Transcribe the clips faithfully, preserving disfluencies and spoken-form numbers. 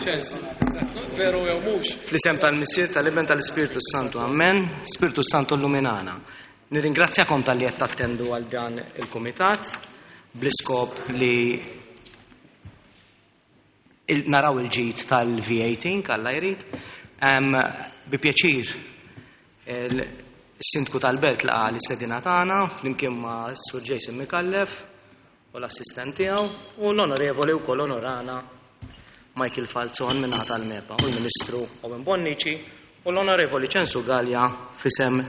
Ċensu, veru jew mhux. Fl-isem tal-Missier, tal-Iben, tal-Ispirtu Santu. Amen. Spirtu Santu illuminana. Nirringrazzjakom talli qed tattendu għal dan il-kumitat bl-iskop li il naraw il-ġid tal-V eighteen kalla jrid. Em, Bi pjaċir il-sindku tal-belt laqa l-istedina tagħna flimkien ma' Sur Jason Micallef u l-assistent tiegħu u l-onorevoli wkoll onorana Michael Falzon min-naħa tal-MEPA u l-Ministru Owen Bonnici u l-onorevoli Ċensu Galea f'isem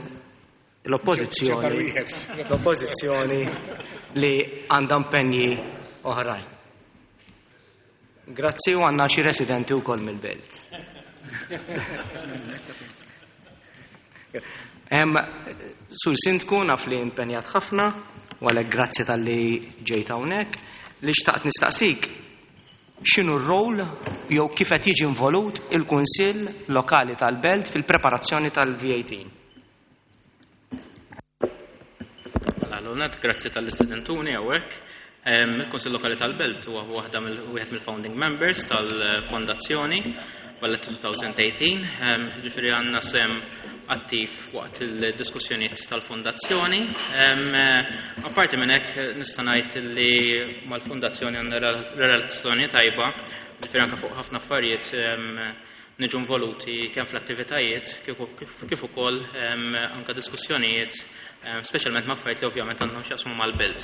l-oppożizzjoni l-oppożizzjoni li għandha impenji oħrajn. Grazzi, u għandna xi residenti wkoll mill-belt. Em, Sur Sindku, naf li impenjat ħafna u għalhekk grazzi talli ġejt hawnhekk. Li xtaqt nistaqsik, x'inhu r-rol jew kif qed jiġi involut il-Kunsill Lokali tal-Belt fil-preparazzjoni tal-V eighteen? Mela, l-għonet, grazzi tal-istudentuni hawnhekk. Il-Kunsill Lokali tal-Belt huwa waħda mill- wieħed mill-founding members tal-Fondazzjoni Valletta twenty eighteen, ġifieri għandna sehem attiv waqt il-diskussjonijiet tal-fondazzjoni. Apparti minn hekk, nista' ngħid li mal-fondazzjoni għandna relazzjoni tajba, ġifieri anke fuq ħafna affarijiet niġu involuti kemm fl-attivitajiet kif ukoll anke diskussjonijiet, speċjalment ma' affarijiet li ovvjament għandhom x'jaqsmu mal-belt.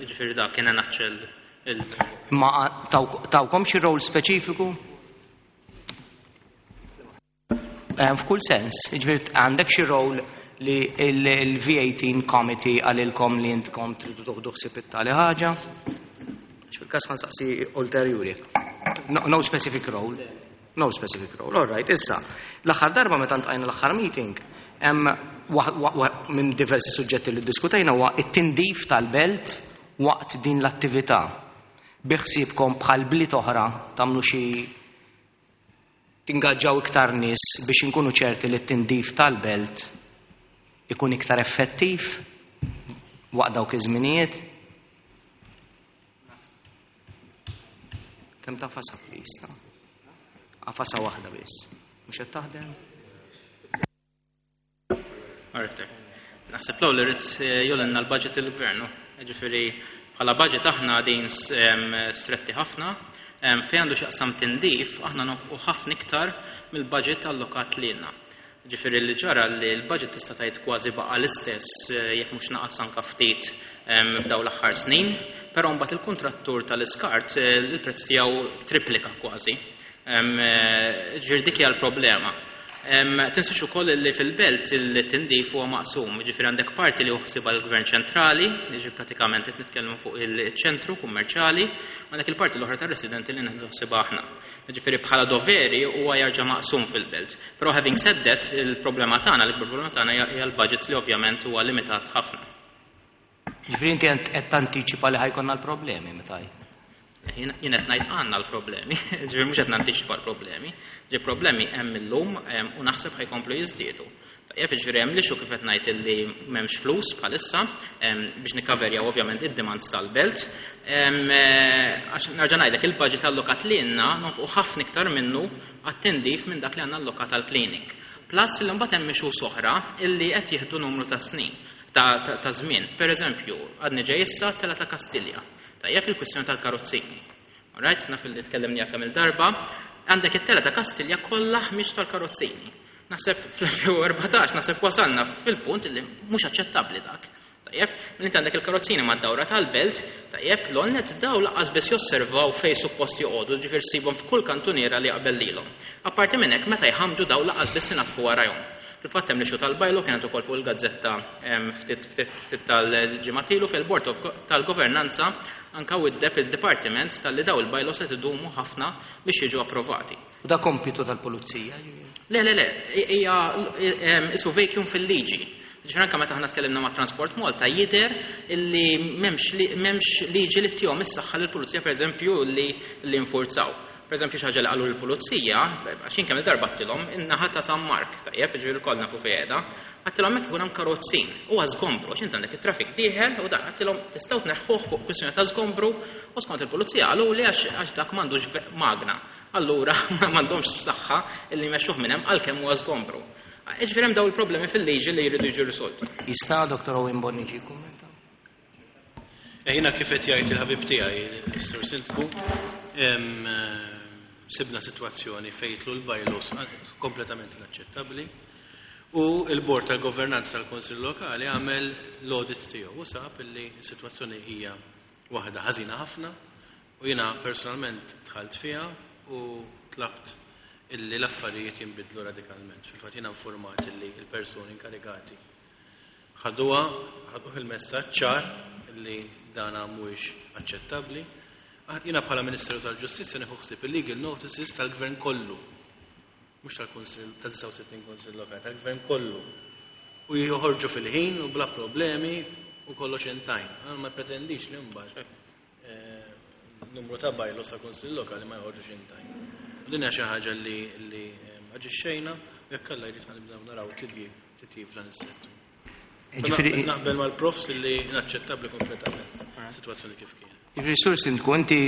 Ġifieri dak kien nutshell il Ma tawkom xi rol speċifiku? F'kull sens, ġifieri għandek xi rol li il-V eighteen Committee qalilkom li intkom tridu toħdu ħsieb it-tali ħaġa? Fil-każ ħa nsaqsi ulterjuri. No, no specific role. No specific role. All right, issa. L-aħħar darba meta ltqajna, l-aħħar meeting, hemm minn diversi suġġetti li diskutejna huwa it-tindif tal-belt waqt din l-attività. Biħsiebkom bħal bliet oħra tagħmlu xi tingaġġaw iktar nies biex inkunu ċerti li t-tindif tal-belt ikun iktar effettiv waqt dawk iż-żminijiet? Kemm tagħfasha, please, ta? Agħfasha waħda biss. Mhux qed taħdem? Alright. Naħseb l li rrid jgħollilna l-budget il-gvernu. Ġifieri bħala budget aħna din stretti ħafna. Fejn għandu x'jaqsam tindif, aħna nonfqu ħafna iktar mill-budget allokat lilna. Ġifieri li ġara li l-budget tista' tgħid kważi baqa' l-istess, jekk mhux naqas anka ftit f'daw l-aħħar snin, però mbagħad il-kontrattur tal-iskart il-prezz tiegħu triplika kważi. Ġifieri dik hija l-problema. Tinsiex ukoll li fil-belt il-tindif huwa maqsum, ġifieri għandek parti li ħsiebha l-Gvern ċentrali, ġifieri pratikament qed nitkellmu fuq il-ċentru kummerċjali, għandek il-parti l-oħra tar-residenti li nieħdu ħsiebha aħna. Ġifieri bħala doveri huwa jarġa' maqsum fil-belt. Però having said that, il-problema tagħna, l-ikbar problema tagħna hija l-budget li ovvjament huwa limitat ħafna. Ġifieri inti qed tantiċipa li ħa jkollna l-problemi meta Jien qed ngħid għandna l-problemi, ġifieri mhux qed nantiċipa l-problemi. Ġi problemi hemm illum u naħseb ħa jkomplu jiżdiedu. Tajjeb, ġifieri hemm l-issue kif qed ngħid illi m'hemmx flus bħalissa biex nikkaverjaw ovvjament id-demands tal-belt. Għax nerġa' ngħidlek, il-budget allokat lilna nonfqu ħafna iktar minnu għat-tindif minn dak li għandna allokat għall-cleaning. Plus li mbagħad hemm issues oħra illi qed jieħdu numru ta' snin ta' żmien. Per eżempju, għadni ġej issa tela ta' Kastilja. Tajjeb, il-kwistjoni tal-karozzini. Alright, naf li tkellimni kemm il-darba, għandek it-tela ta' Kastilja kollha ħmieġ tal-karozzini. Naħseb fl-elfejn u erbatax naħseb wasalna fil-punt li mhux aċċettabbli dak. Tajjeb, minn inti għandek il-karozzini mad-dawra tal-belt, tajjeb, l-onnet daw lanqas biss josservaw fej suppost joqogħdu, ġifier ssibhom f'kull kantuniera li jaqbel lilhom. Apparti minn hekk, meta jħamġu daw lanqas biss inaddfu warajhom. Fil-fatt hemm l-issue tal-bylaw, kienet ukoll fuq il-gazzetta ftit ftit tal-ġimgħat ilu, fil-Board tal-Governanza anka widdeb il-Departiment talli daw il-bylaws qed idumu ħafna biex jiġu approvati. U da kompitu tal-pulizija? Le, le, le, hija isu vacuum fil-liġi. Ġifieri anke meta aħna tkellimna ma' Transport Malta, jidher illi m'hemmx liġi li ttihom is-saħħa lill-pulizija, pereżempju, li li nfurzaw. Per eżempju, xi ħaġa li qalu l-pulizija, għax jien kemm il-darba għedtilhom in-naħa ta' San Mark, tajjeb, ġifieri kollna nafu fejn qiegħda, għedtilhom hekk ikun hemm karozzin, huwa żgombru, għax int għandek it-traffic dieħel u dak għedtilhom tistgħu tneħħuh fuq kwistjoni ta' żgombru u skont il-pulizija qalu li għax għax dak m'għandux ve- magna. Allura m'għandhomx saħħa illi jmexxuh minn hemm għalkemm huwa żgombru. Ġifieri hemm daw il-problemi fil-liġi li jridu jiġu risolti. Jista' Dottor Owen Bonnici jikkummenta? Eh, Jiena kif qed jgħid il-ħabib tiegħi, is-Sur Sindku, em, eh, sibna sitwazzjoni fejn jidħlu l-bylaws kompletament inaċċettabbli u il-Bord tal-Governanza tal-Konsil Lokali għamel l-audit tiegħu u sab illi s-sitwazzjoni hija waħda ħażina ħafna u jiena personalment dħalt fiha u tlabt illi l-affarijiet jinbidlu radikalment. Fil-fatt jiena informat illi il-persuni inkarigati ħaduha, ħaduh il-messaġġ ċar li dana mhuwiex aċċettabbli. Ah, jiena bħala Ministeru tal-Ġustizzja nieħu ħsieb il-legal notices tal-Gvern kollu. Mhux tal-Kunsill ta' disgħa u sittin Kunsill Lokali, tal-Gvern kollu. U joħorġu fil-ħin u bla problemi u kollox in time. Għal ma pretendix li mbagħad eh, numru ta' bylaws ta' Kunsill Lokali ma joħorġux in time. U din hija xi ħaġa li li eh, aġixxejna u jekk Alla jrid nibdew naraw titjib titjib f'dan is-settur. Ġifieri Naqbel mal-profs li inaċċettabbli kompletament situazzjoni kif kien. Ġifieri, Sur Sindku, inti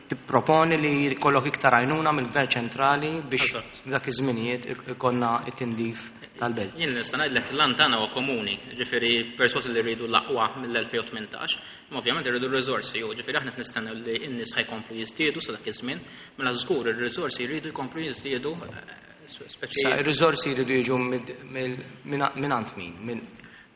tipproponi li jkollok iktar għajnuna mill-Gvern ċentrali biex Eżatt. dak iż-żminijiet ikollna it-tindif tal-belt. Jien nista' ngħidlek l-għan tagħna huwa komuni, ġifieri perswas li rridu l-aqwa mill-elfejn u tmintax, imma ovvjament irridu r-riżorsi, u ġifieri aħna qed nistennew li n-nies ħa jkomplu jiżdiedu sa dak iż-żmien, mela żgur ir-riżorsi jridu jkomplu jiżdiedu eh, speċi Sa ir-riżorsi jridu jiġu mid- mill- minn minn għand min? Minn minn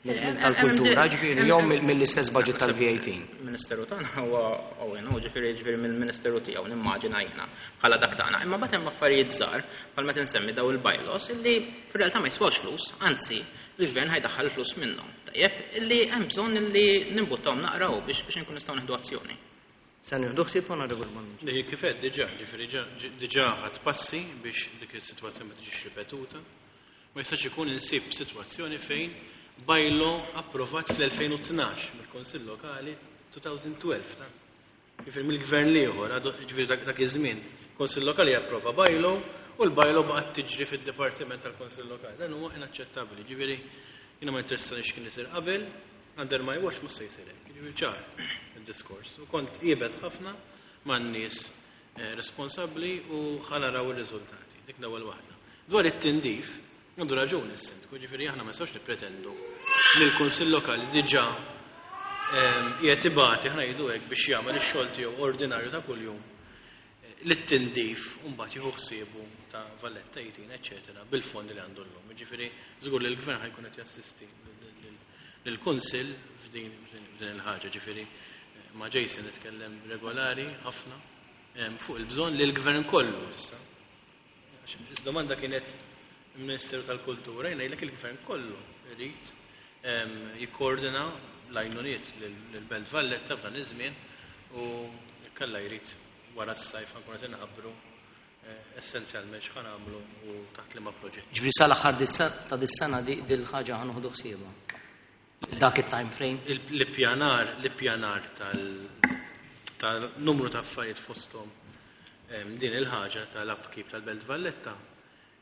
Eh, tal-kultura, eh, ġifieri, eh, jew eh, mill- mill-istess budget tal-V eighteen. Il-Ministeru tagħna huwa Owen, u ġifieri ġifieri mill-Ministeru tiegħu nimmaġina jiena bħala dak tagħna. Imma bagħad hemm affarijiet żgħar bħal meta nsemmi daw il-bylaws illi fir-realtà ma jiswawx flus, anzi il-gvern ħa jdaħħal flus minnhom. Tajjeb, illi hemm bżonn illi nimbuttawhom naqraw biex biex inkun nistgħu nieħdu azzjoni. Se nieħdu ħsieb, Onorevole Bonnici. Li kif qed diġà, ġifieri ġa- diġà ħadt passi biex dik is-sitwazzjoni ma tiġix ripetuta. Ma jistax ikun insib sitwazzjoni fejn bylaw approvat fl-elfejn u tnax mill-Konsill Lokali elfejn u tnax ta' ġifieri mill-gvern l-ieħor, għadu- ġifieri dak dak iż-żmien, Konsill Lokali approva bylaw u l-bylaw baqgħet tiġri fid-Dipartiment tal-Konsill Lokali. Dan huwa inaċċettabbli. Ġifieri jiena ma interessani x'kien isir qabel, under my watch mhux se jsir hekk. Ġifieri ċar id-diskors. U kont iebes ħafna man-nies eh, responsabbli u ħa naraw ir-riżultati. Dik l-ewwel waħda. Dwar it-tindif, għandu raġuni s-sindku, ġifieri aħna ma nistgħux nippretendu li l-Kunsill Lokali diġà ehm, qiegħed ibati, aħna ngħidu hekk, biex jagħmel ix-xogħol tiegħu ordinarju ta' kuljum eh, li t-tindif u mbagħad jieħu ħsiebu ta' Valletta eighteen, eċetera, bil-fondi li għandu llum. Ġifieri żgur li l-gvern ħa jkun qed jassisti lill-Kunsill f'din f'din il-ħaġa, ġifieri eh, ma' Jason nitkellem regolari ħafna em, fuq il-bżonn li l-gvern kollu issa. Għax Is-domanda kienet il-Ministeru tal-Kultura, jiena ngħidlek il-gvern kollu irid em, jikkoordina l-għajnuniet lill-Belt Valletta f'dan iż-żmien u kalla jrid wara s-sajf ħa nkunu qed inħabbru eh, essenzjalment x'ħa nagħmlu u taħt liema proġett. Ġifieri sal-aħħar dis- ta' dis-sena di dil-ħaġa ħa nieħdu ħsiebha. Dak it-time frame. Il- L-ippjanar, l-ippjanar tal- tal-numru ta' affarijiet fosthom em, din il-ħaġa tal-upkeep tal-Belt Valletta,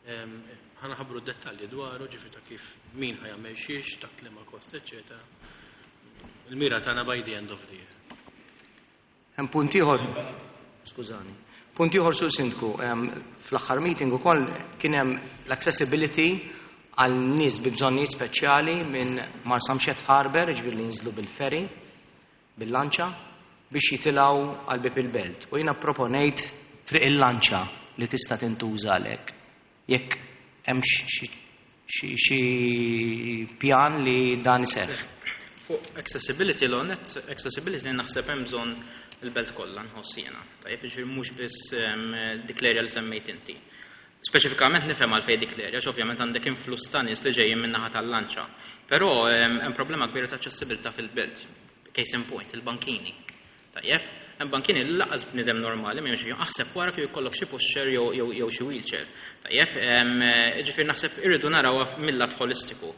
em, ħa nħabbru dettalji dwaru, ġifieri ta' kif min ħa jagħmel xiex, taħt liema kost, eċetera. Il-mira tagħna by the end of the year. Hemm punt ieħor, skużani. Punt ieħor, Sur Sindku, em, fl-aħħar meeting ukoll kien hemm l-accessibility għal nies bi bżonnijiet speċjali minn Marsamxett Harbour, ġifieri li jinżlu bil-ferry, bil-lanċa, biex jitilgħu għal bib il-belt. U jiena proponejt triq il-lanċa li tista' tintuża għalhekk. Jekk hemm xi xi xi pjan li dan iseħħ. Fuq accessibility l-onet, accessibility naħseb hemm bżonn il-belt kollha nħoss jiena. Tajjeb, ġifieri mhux biss em, dik l-area li semmejt inti. Speċifikament nifhem għalfejn dik l-area, għax ovvjament għandek influss ta' nies li ġejjin min-naħa tal-lanċa. Però em, hemm problema kbira ta' aċċessibilità fil-belt. Case in point, il-bankini. Tajjeb, Hemm bankini li lanqas bniedem normali ma jimxi fihom, aħseb wara kif jkollok xi pushchair jew jew jew xi wheelchair. Tajjeb, ġifieri naħseb irridu naraw mill-lat holistiku.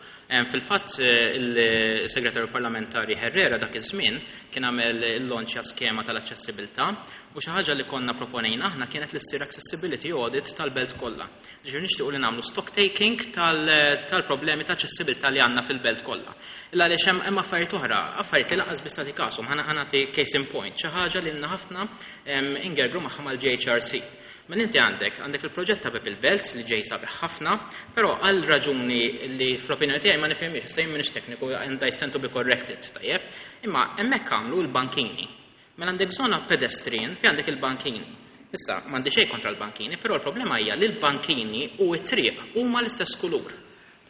Fil-fatt il-Segretarju Parlamentari Herrera dak iż-żmien kien għamel il-launch skema tal-aċċessibilità u xi ħaġa li konna proponejna aħna kienet li ssir accessibility audit tal-belt kollha. Ġifieri nixtiequ li nagħmlu stock taking tal-problemi ta' aċċessibilità li għandna fil-belt kollha. Illa għaliex hemm hemm affarijiet oħra, affarijiet li lanqas biss tagħti kashom, ħa nagħti case in point, xi ħaġa li lna ħafna ingergru magħha mal-J H R C. Mela inti għandek, għandek il-proġett ta' Bieb il-Belt li ġej sabiħ ħafna, però għal raġuni li fl-opinjoni tiegħi ma nifhimx, issa jien m'iniex tekniku and I stand to be corrected, tajjeb, imma hemmhekk għamlu l-bankini. Mela għandek zona pedestrian fi għandek il-bankini. Issa, m'għandi xejn kontra l-bankini, però l-problema hija li l-bankini u t-triq huma l-istess kulur.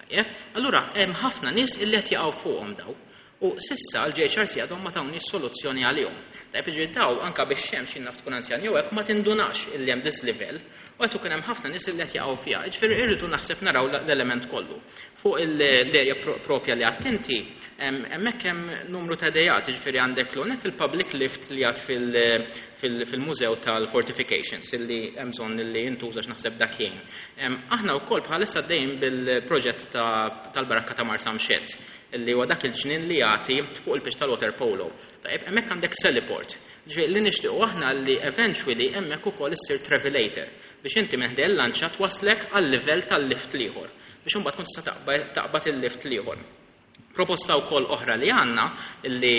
Tajjeb, allura hemm ħafna nies illi qed jaqgħu fuqhom daw. U s'issa l-J H R C għadhom ma tawniex soluzzjoni għalihom. Tajjeb, jiġifieri daw anka biex xemx jien naf tkun anzjan jew hekk ma tindunax illi hemm dislevel u qed ikun hemm ħafna nies illi qed jaqgħu fiha. Jiġifieri irridu naħseb naraw l-element kollu. Fuq l-area propja li attenti, hemmhekk hemm numru ta' idejat, jiġifieri għandek l il-public lift li għad fil-mużew tal-fortifications illi hemm bżonn li jintuża naħseb dak jgħin. Aħna wkoll bħalissa dejjem bil-proġett tal-Barakka ta' Marsamxett illi huwa dak il-ġnien li jagħti fuq il-pitch tal-water polo. Tajjeb, hemmhekk għandek heliport. Ġifieri li nixtiequ aħna li eventually hemmhekk ukoll issir travelator biex inti minn ħdejn lanċa twaslek għal-livell tal-lift l-ieħor biex imbagħad tkun tista' taqbad il-lift l-ieħor. Proposta wkoll oħra li għandna li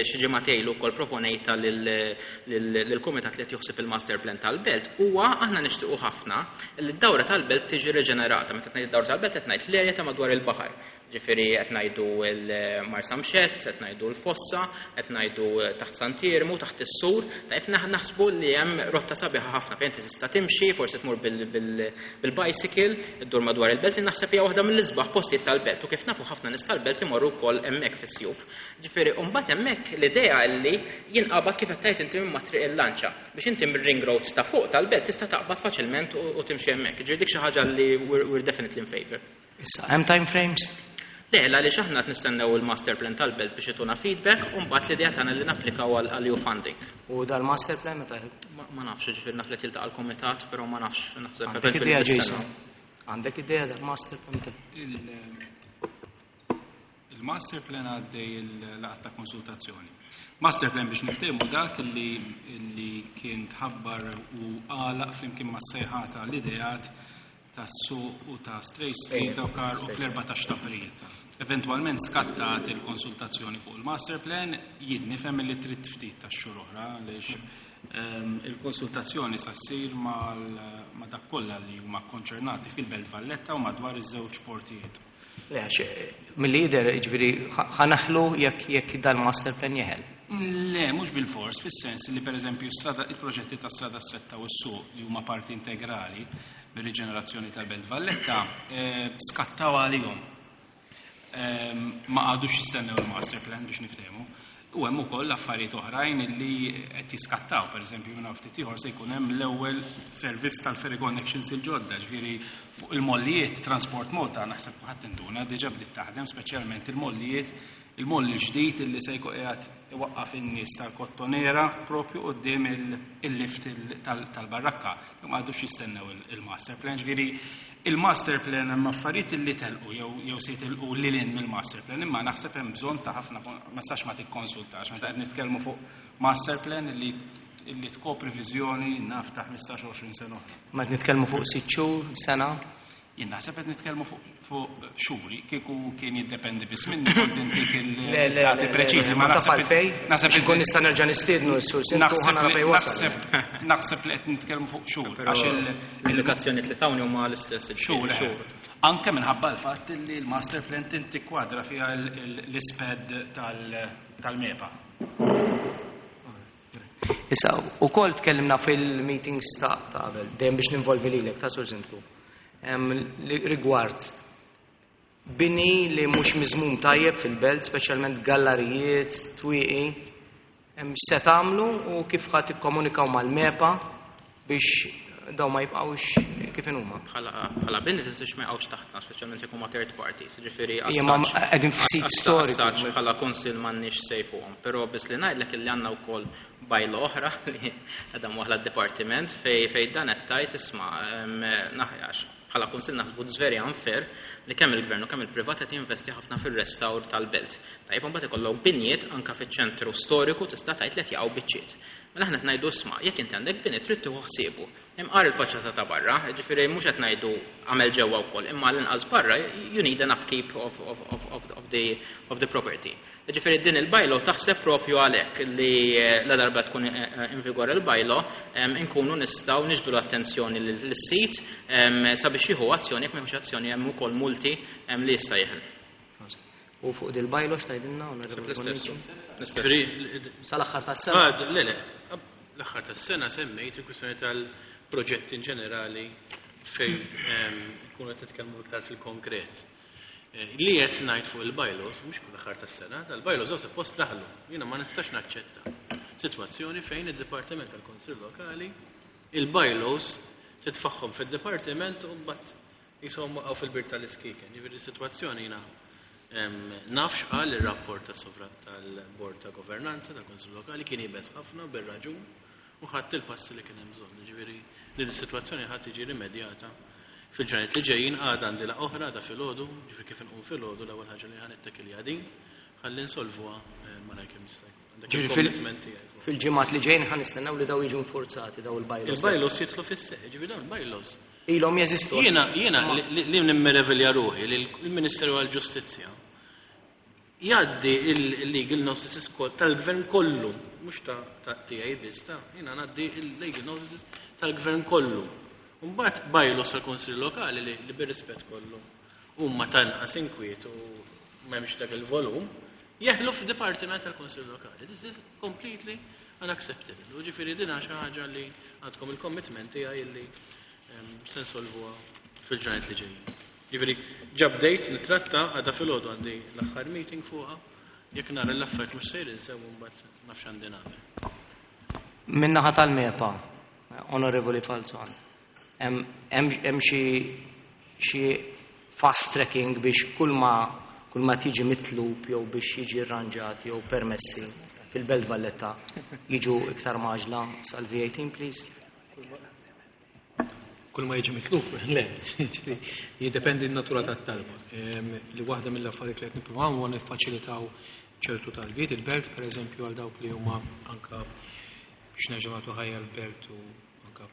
xi ġimgħatejn ilu wkoll proponejta lill-kumitat li qed joħsib il-master plan tal-belt huwa aħna nixtiequ ħafna li d-dawra tal-belt tiġi riġenerata. Meta ngħid id-dawra tal-belt qed ngħid l-erja ta' madwar il-baħar. Ġifieri qed ngħidu l-Marsamxett, qed ngħidu l-Fossa, qed ngħidu taħt Sant'Iermu, taħt is-Sur, tajb naħsbu li hemm rotta sabiħa ħafna fejn tista' timxi, forsi tmur bil-bicycle, iddur madwar il-belt, naħseb hija waħda mill-isbaħ postijiet tal-belt u kif nafu ħafna nies tal-belt imorru wkoll hemmhekk fis-sjuf. Ġifieri mbagħad hemmhekk l-idea li jinqabad kif qed tgħid inti minn triq il-lanċa biex inti mir-ring road ta' fuq tal-belt tista' taqbad faċilment u timxi hemmhekk. Ġifieri dik xi ħaġa li we're definitely in favor. Issa, hemm time frames? Le, għaliex aħna qed nistennew il-master plan tal-belt biex ituna feedback u mbagħad l-idea tagħna li napplikaw għal E U funding. U dal-master plan meta? Ma nafx, ġifieri naf li tiltaqa' l-kumitat, però ma nafx, naħseb Għandek idea, Jason? Għandek idea dal-master plan meta? Il-master plan għaddej il-laqgħa ta' konsultazzjoni. Master plan, biex niftehmu, dak li li kien tħabbar u għalaq flimkien ma' sejħa tal-ideat tas-suq u ta' Strait Street u kar u fl-erbatax ta' April. Eventualment skattat il-konsultazzjoni fuq il-master plan, jien nifhem li trid ftit ta' xhur oħra għaliex ehm, il-konsultazzjoni sa ssir ma' dak kollha li huma konċernati fil-Belt Valletta u madwar iż-żewġ portijiet. Le, għax mill-lider, ġifieri, ħa neħlu jekk jekk dal-master plan jeħel. Le, mhux bil-fors, fis-sens li pereżempju strada, il-proġetti ta' Strada Stretta u s-suq li huma parti integrali bir-riġenerazzjoni tal-Belt Valletta eh, skattaw għalihom. Ehm, ma għadux jistennew il-master plan, biex niftehmu. U hemm ukoll affarijiet oħrajn li qed jiskattaw, pereżempju minn ftit ieħor se jkun hemm l-ewwel servizz tal-ferry connections il-ġodda, ġifieri fuq il-mollijiet Transport Malta naħseb ħadd induna diġà bdiet taħdem, speċjalment il-mollijiet, il-molli ġdid illi se jkun qiegħed iwaqqaf in-nies tal-Kottonera propju quddiem il-lift tal-Barrakka. Ma għadux jistennew il-master plan, ġifieri il-master plan hemm affarijiet li telqu jew jew se jitilqu lil hinn mill-master plan, imma naħseb hemm bżonn ta' ħafna, ma sax ma tikkonsultax meta qed nitkellmu fuq master plan li illi tkopri viżjoni naf ta' ħmistax għoxrin sena oħra. Ma qed nitkellmu fuq sitt xhur, sena? Jien naħseb qed nitkellmu fuq xhuri, kieku kien jiddependi biss minni kont intik il-dati preċiżi, ma naħseb għalfej, naħseb ikun nista' nerġa' nistiednu s-sur Sindku, ħa nara fejn wasal. Naħseb li qed nitkellmu fuq xhur. Għax l-indikazzjoni li tawni huma l-istess. Xhur. Anke minħabba l-fatt li l-master plan tintikwadra fiha l-isped tal-MEPA. Issa, u kol tkellimna fil-meetings ta' qabel, dejjem biex ninvolvi lilek ta' Sur Sindku. Rigward bini li mhux miżmum tajjeb fil-belt, speċjalment gallarijiet, twieqi, se tagħmlu u kif ħadd tikkomunikaw mal-MEPA biex daw ma jibqgħux kif inhuma. Bħala businesses ma jqgħux taħtna, speċjalment jekk huma third parties, ġifieri qegħdin f'sit storiku. Bħala kunsill m'għandniex say fuqhom, però biss li ngħidlek illi għandna wkoll bylaw oħra li qiegħda waħla d-dipartiment fej fej dan qed tgħid isma' naħjax bħala kunsill naħsbu it's very unfair li kemm il-gvern u kemm il-privat qed jinvesti ħafna fir-restawr tal-belt. Tajjeb imbagħad ikollok binjiet anke fiċ-ċentru storiku tista' tgħid li qed jaqgħu biċċiet. Mela aħna qed ngħidu isma' jekk inti għandek bini trid tieħu ħsiebu. Imqar il-faċċata ta' barra, ġifieri mhux qed ngħidu għamel ġewwa wkoll, imma l-inqas barra you need an upkeep of, of, of, of, of, the, of the property. Ġifieri din il-bylaw taħseb propju għalhekk li la darba tkun in vigor il-bylaw inkunu nistgħu niġbdu attenzjoni lis-sit sabiex jieħu azzjoni, jekk m'hemmx azzjoni hemm ukoll multi li jista' jeħel. U fuq dil-bylaw x'tgħidilna? Sal-aħħar tas-sena. Le, le, l-aħħar tas-sena semmejt il-kwistjoni tal-proġetti in ġenerali fejn nkunu qed nitkellmu iktar fil-konkret. Li qed ngħid fuq il-bylaws, mhux l-aħħar tas-sena, tal-bylaws hawn suppost daħlu. Jiena ma nistax naċċetta sitwazzjoni fejn id-Dipartiment tal-Kunsill Lokali il-bylaws titfaħħom fid-dipartiment u mbagħad jisom waqgħu fil-bir tal-iskiken. Jiġifieri s-sitwazzjoni jiena nafx qal ir-rapport tal-Bord ta' Governanza tal-Kunsill Lokali kien jibes ħafna bir-raġun u ħadd il-passi li kien hemm bżonn. Jiġifieri din is-sitwazzjoni ħadd tiġi rimedjata fil-ġranet li ġejjin. Għadha għandi la oħra ta' filgħodu, ġifieri kif inqum filgħodu l-ewwel ħaġa li ħanittekilja din ħalli nsolvuha malajr kemm jista' jkun. Fil-ġimgħat li ġejjin ħa nistennew li daw jiġu nfurzati daw il-bylaws. Il-bylaws jidħlu fis-seħħ, ġifieri dawn il-bylaws ilhom jeżistu. Jiena jiena li nimmerevilja ruħi li l-Ministeru għall-Ġustizzja jgħaddi il-legal notices tal-gvern kollu, mhux ta' tiegħi biss ta' jiena ngħaddi il-legal notices tal-gvern kollu. Mbagħad bylaws tal-Kunsill Lokali li bir-rispett kollu huma tanqas inkwiet u m'hemmx dak il-volum, jeħlu f'dipartiment tal-Kunsill Lokali. This is completely unacceptable. U ġifieri din xi ħaġa li għandkom il-commitment tiegħi li se nsolvuha fil-ġranet li ġejjin. Ġifieri ġabdejt nitratta għadha filgħodu għandi l-aħħar meeting fuqha, jekk nara l-affarijiet mhux sejrin sew mbagħad nafx għandi nagħmel. Min-naħa tal-MEPA, Onorevoli Falzon, hemm xi fast tracking biex kull ma kull ma tiġi mitlub jew biex jiġi rranġat jew permessi fil-Belt Valletta jiġu iktar maġla sal-V eighteen, please? Kull ma jiġi mitlub, le, jiddependi n-natura tat-talba. Li waħda mill-affarijiet li qed nippruvaw huwa niffaċilitaw ċertu talbiet il-belt, pereżempju għal dawk li huma anka biex nerġgħu nagħtu ħajja l-belt u anka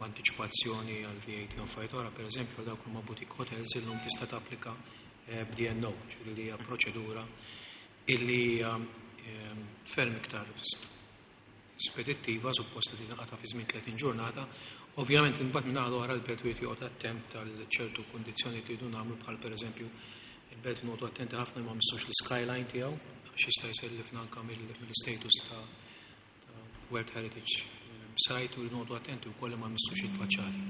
anticipazzjoni għal V eighteen u affarijiet oħra, pereżempju għal dawk li huma boutique hotels illum tista' tapplika b'D N O, ġifieri li hija proċedura illi hija ferm iktar spedittiva, suppost li tingħata fi żmien tletin ġurnata. Ovvjament imbagħad minn naħa l-oħra l-belt wieħed joqgħod attent għal ċertu kundizzjoni li jridu nagħmlu, bħal pereżempju il-belt noqgħdu attenti ħafna ma missux l-skyline tiegħu għax jista' jsellifna anke mill-status ta' World Heritage Site, u noqgħdu attenti wkoll ma missux il-faċċati.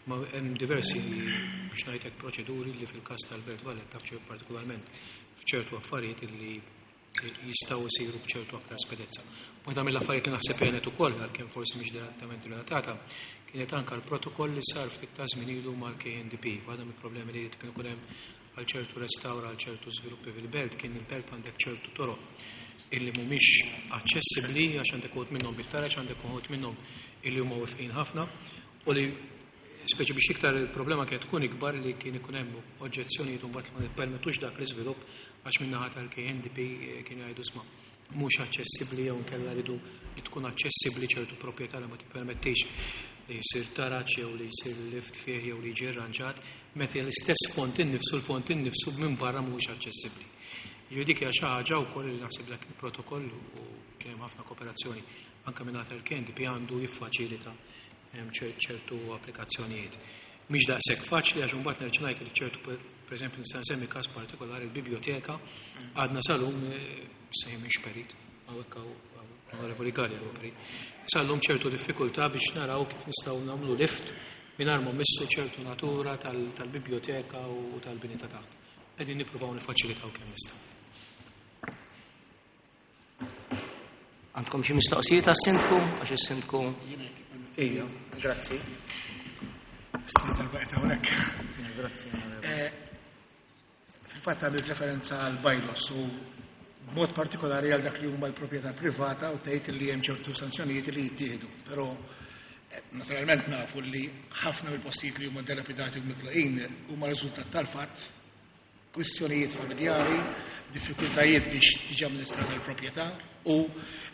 Ma hemm diversi biex ngħidlek proċeduri li fil-każ tal-Belt Valletta partikolarment f'ċertu affarijiet li jistgħu jsiru b'ċertu aktar spedezza. Waħda mill-affarijiet li naħseb kienet ukoll, għalkemm forsi mhix direttament relatata, kienet anke l-protokoll li sar ftit ta' żmien ilu mal-K N D P. Waħda mill-problemi li kien ikun hemm għal ċertu restawra, għal ċertu żviluppi fil-belt, kien il-belt għandek ċertu toroq illi mhumiex aċċessibbli għax għandek uħud minnhom bit-taraġ, għandek uħud minnhom illi huma wifqin ħafna, u li speċi biex iktar il-problema kienet tkun ikbar li kien ikun hemm oġġezzjonijiet u mbagħad ma nippermettux dak l-iżvilupp għax min-naħa tal-K N D P kienu jgħidu sma' mhux aċċessibbli jew inkella rridu li tkun aċċessibbli ċertu proprjetà li ma tippermettix li jsir taraġ jew li jsir lift fih jew li jiġi rranġat, meta l-istess font innifsu, l-font innifsu minn barra mhuwiex aċċessibbli. Jiġifieri dik hija xi ħaġa wkoll li naħseb dak il-protokoll u kien hemm ħafna kooperazzjoni anke minn naħa tal-K N D P għandu jiffaċilita ċertu applikazzjonijiet. Mhix daqshekk faċli għax imbagħad nerġa' ngħid li ċertu, pereżempju nista' nsemmi każ partikolari l-biblioteka għadna sal-lum se mhix perit, hawnhekk hawn Onorevoli Galea huwa perit. Sal-lum ċertu diffikultà biex naraw kif nistgħu nagħmlu lift mingħajr ma mmissu ċertu natura tal-biblioteka u tal-bini ta' taħt. Qegħdin nippruvaw nifaċilitaw kemm nistgħu. Għandkom xi mistoqsijiet għas-sindku? Għax is-sindku Ija, grazzi. Issa darba qed hawnhekk. Grazzi. Eh, Fil-fatt għamilt referenza għal bylaws u b'mod partikolari għal dak li huma l-proprjetà privata u tgħid li hemm ċertu sanzjonijiet li jittieħdu. Però eh, naturalment nafu li ħafna mill-postijiet li huma dilapidati u mitlaqin huma riżultat tal-fatt kwistjonijiet familjari, diffikultajiet biex tiġi amministrata l-proprjetà u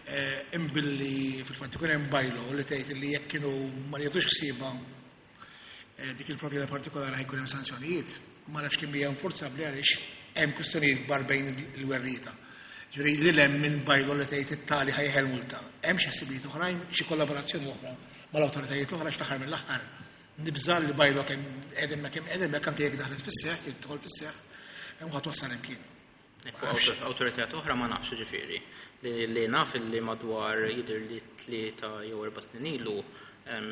eh, imbilli fil-fatt ikun hemm bylaw li tgħid li jekk kienu ma jieħdux ħsiebha eh, dik il-proprjetà partikolari ħa jkun hemm sanzjonijiet, ma nafx kemm hija infurzabbli għaliex hemm kwistjonijiet kbar bejn il-werrieta. Ġifieri li hemm minn bylaw li tgħid it-tali ħa jeħel multa. Hemm xi ħsibijiet oħrajn, xi kollaborazzjoni oħra mal-awtoritajiet oħra x'l-aħħar mill-aħħar. Nibża' li bylaw kemm qegħdem kemm qegħdem hekk anke jekk daħlet fis-seħħ, jekk tidħol fis-seħħ, hemm ħadd wassal imkien. Fuq awtoritajiet oħra ma nafx ġifieri. Li, li naf li madwar jidher li tlieta jew erba' snin ilu em,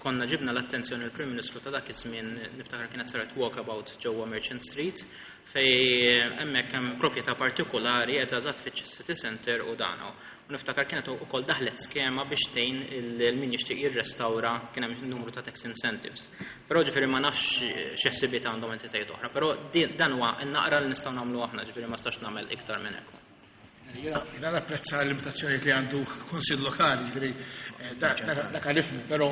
konna ġibna l-attenzjoni l-Prim Ministru ta' dak iż-żmien, niftakar kienet saret walkabout ġewwa Merchant Street, fej hemmhekk hemm proprjetà partikolari qed eżatt fiċ-City Center u dana. U niftakar kienet ukoll daħlet skema biex tgħin il min jixtieq jirrestawra, kien hemm numru ta' tax incentives. Però ġifieri ma nafx xi ħsibiet għandhom entitajiet oħra, però di- dan huwa n-naqra li nistgħu nagħmlu aħna, ġifieri ma stax nagħmel iktar minn hekk. Jiena jiena napprezza l-limitazzjonijiet li għandu kunsill lokali, ġifieri eh, dak dak għalifmu, però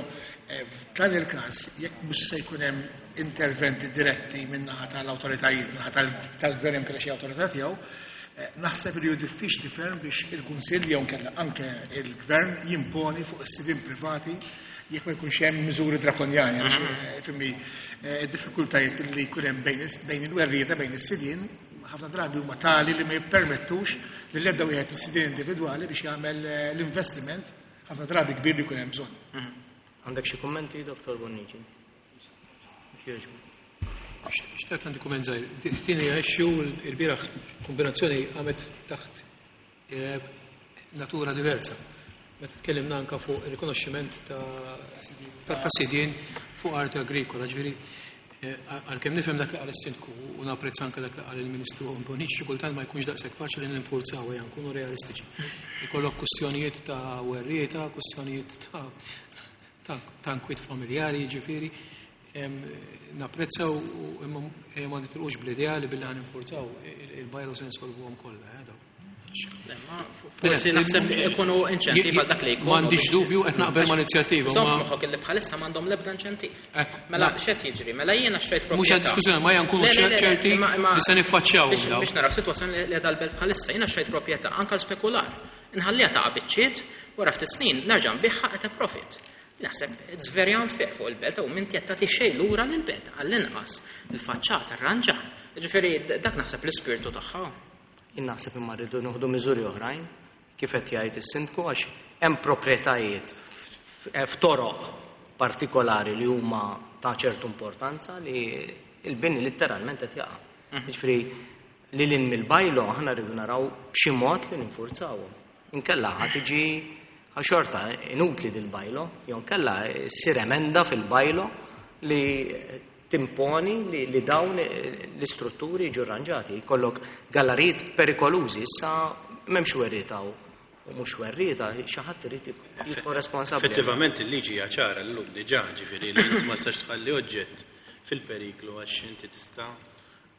eh, f'dan il-każ jekk mhux se jkun hemm interventi diretti min-naħa tal-awtoritajiet, min-naħa tal- tal-gvern hemm xi awtorità tiegħu, eh, naħseb li hu diffiċli ferm biex il-kunsill jew nkella anke il-gvern jimponi fuq is-sidien privati jekk ma jkunx hemm miżuri drakonjani, għax, eh, fimni, eh, id-diffikultajiet li jkun hemm bejn is- bejn il-werrieta, bejn is-sidien, ħafna drabi huma tali li ma jippermettux li l-ebda wieħed mis-sidien individwali biex jagħmel eh, l-investiment ħafna drabi kbir li jkun hemm bżonn. Għandek xi kummenti, Dottor Bonnici? Jogħġbu. Xtaqt għandi kumment żgħir. Tieni issue il-bieraħ kombinazzjoni għamet taħt eh, natura diversa. Meta tkellimna anka fuq il-rikonoxximent ta' ta' ta' sidien fuq arti agrikola, ġifieri eh, għalkemm nifhem dak li qal is-sindku u napprezza anke dak li qal il-Ministru Bonnici, xi kultant ma jkunx daqshekk faċli ninfurzaw, ejja nkunu realistiċi. Ikollok kwistjonijiet ta' werrieta, kwistjonijiet ta' ta' ta' nkwiet familjari, ġifieri, em, napprezzaw u imma eh, ma nitilqux bl-idea li billi ħa ninfurzaw il-bylaw se nsolvuhom kollha, eh, daw. Le, ma Forsi naħseb ikunu inċentiv għal dak li jkunu. M'għandix dubju qed naqbel ma' inizjattiva, Żomm ma moħħok li bħalissa m'għandhom l-ebda inċentiv. Ekku, Mela na- x'qed jiġri? Mela jiena xtrajt Mhux proprjetà. għad diskussjoni, ma ejja nkunu Le, le, le, ċerti imma- imma- li se niffaċċjaw Biex daw. biex naraw sitwazzjoni li għadha l-belt bħalissa, jiena xtrajt proprjetà anke l-spekular. Inħalliha taqa' biċċiet, wara ftit snin nerġa' nbigħha at a profit. Naħseb it's very unfair fuq il-belt u minn qed tagħti xejn lura lill-belt għall-inqas il-faċċata arranġa. Ġifieri dak naħseb l-ispirtu tagħha. Jien naħseb imma rridu nieħdu miżuri oħrajn kif qed jgħid is-sindku, għax hemm proprjetajiet f- f'toroq partikolari li huma ta' ċertu importanza li il-bini letteralment qed jaqa'. Jiġifieri li lil mill-bylaw aħna rridu naraw b'xi mod li ninfurzawhom. Inkella ħa tiġi xorta inutli dil-bylaw, jew nkella ssir emenda fil-bylaw li timponi li, li dawn l-istrutturi jiġu arranġati. Jkollok gallerijiet perikolużi, issa m'hemmx werrieta u u mhux werrieta, xi ħadd irid jkun responsabbli. Effettivament il-liġi hija ċara llum diġà, ġifieri li inti ma tistax tħalli oġġett fil-periklu għax inti tista'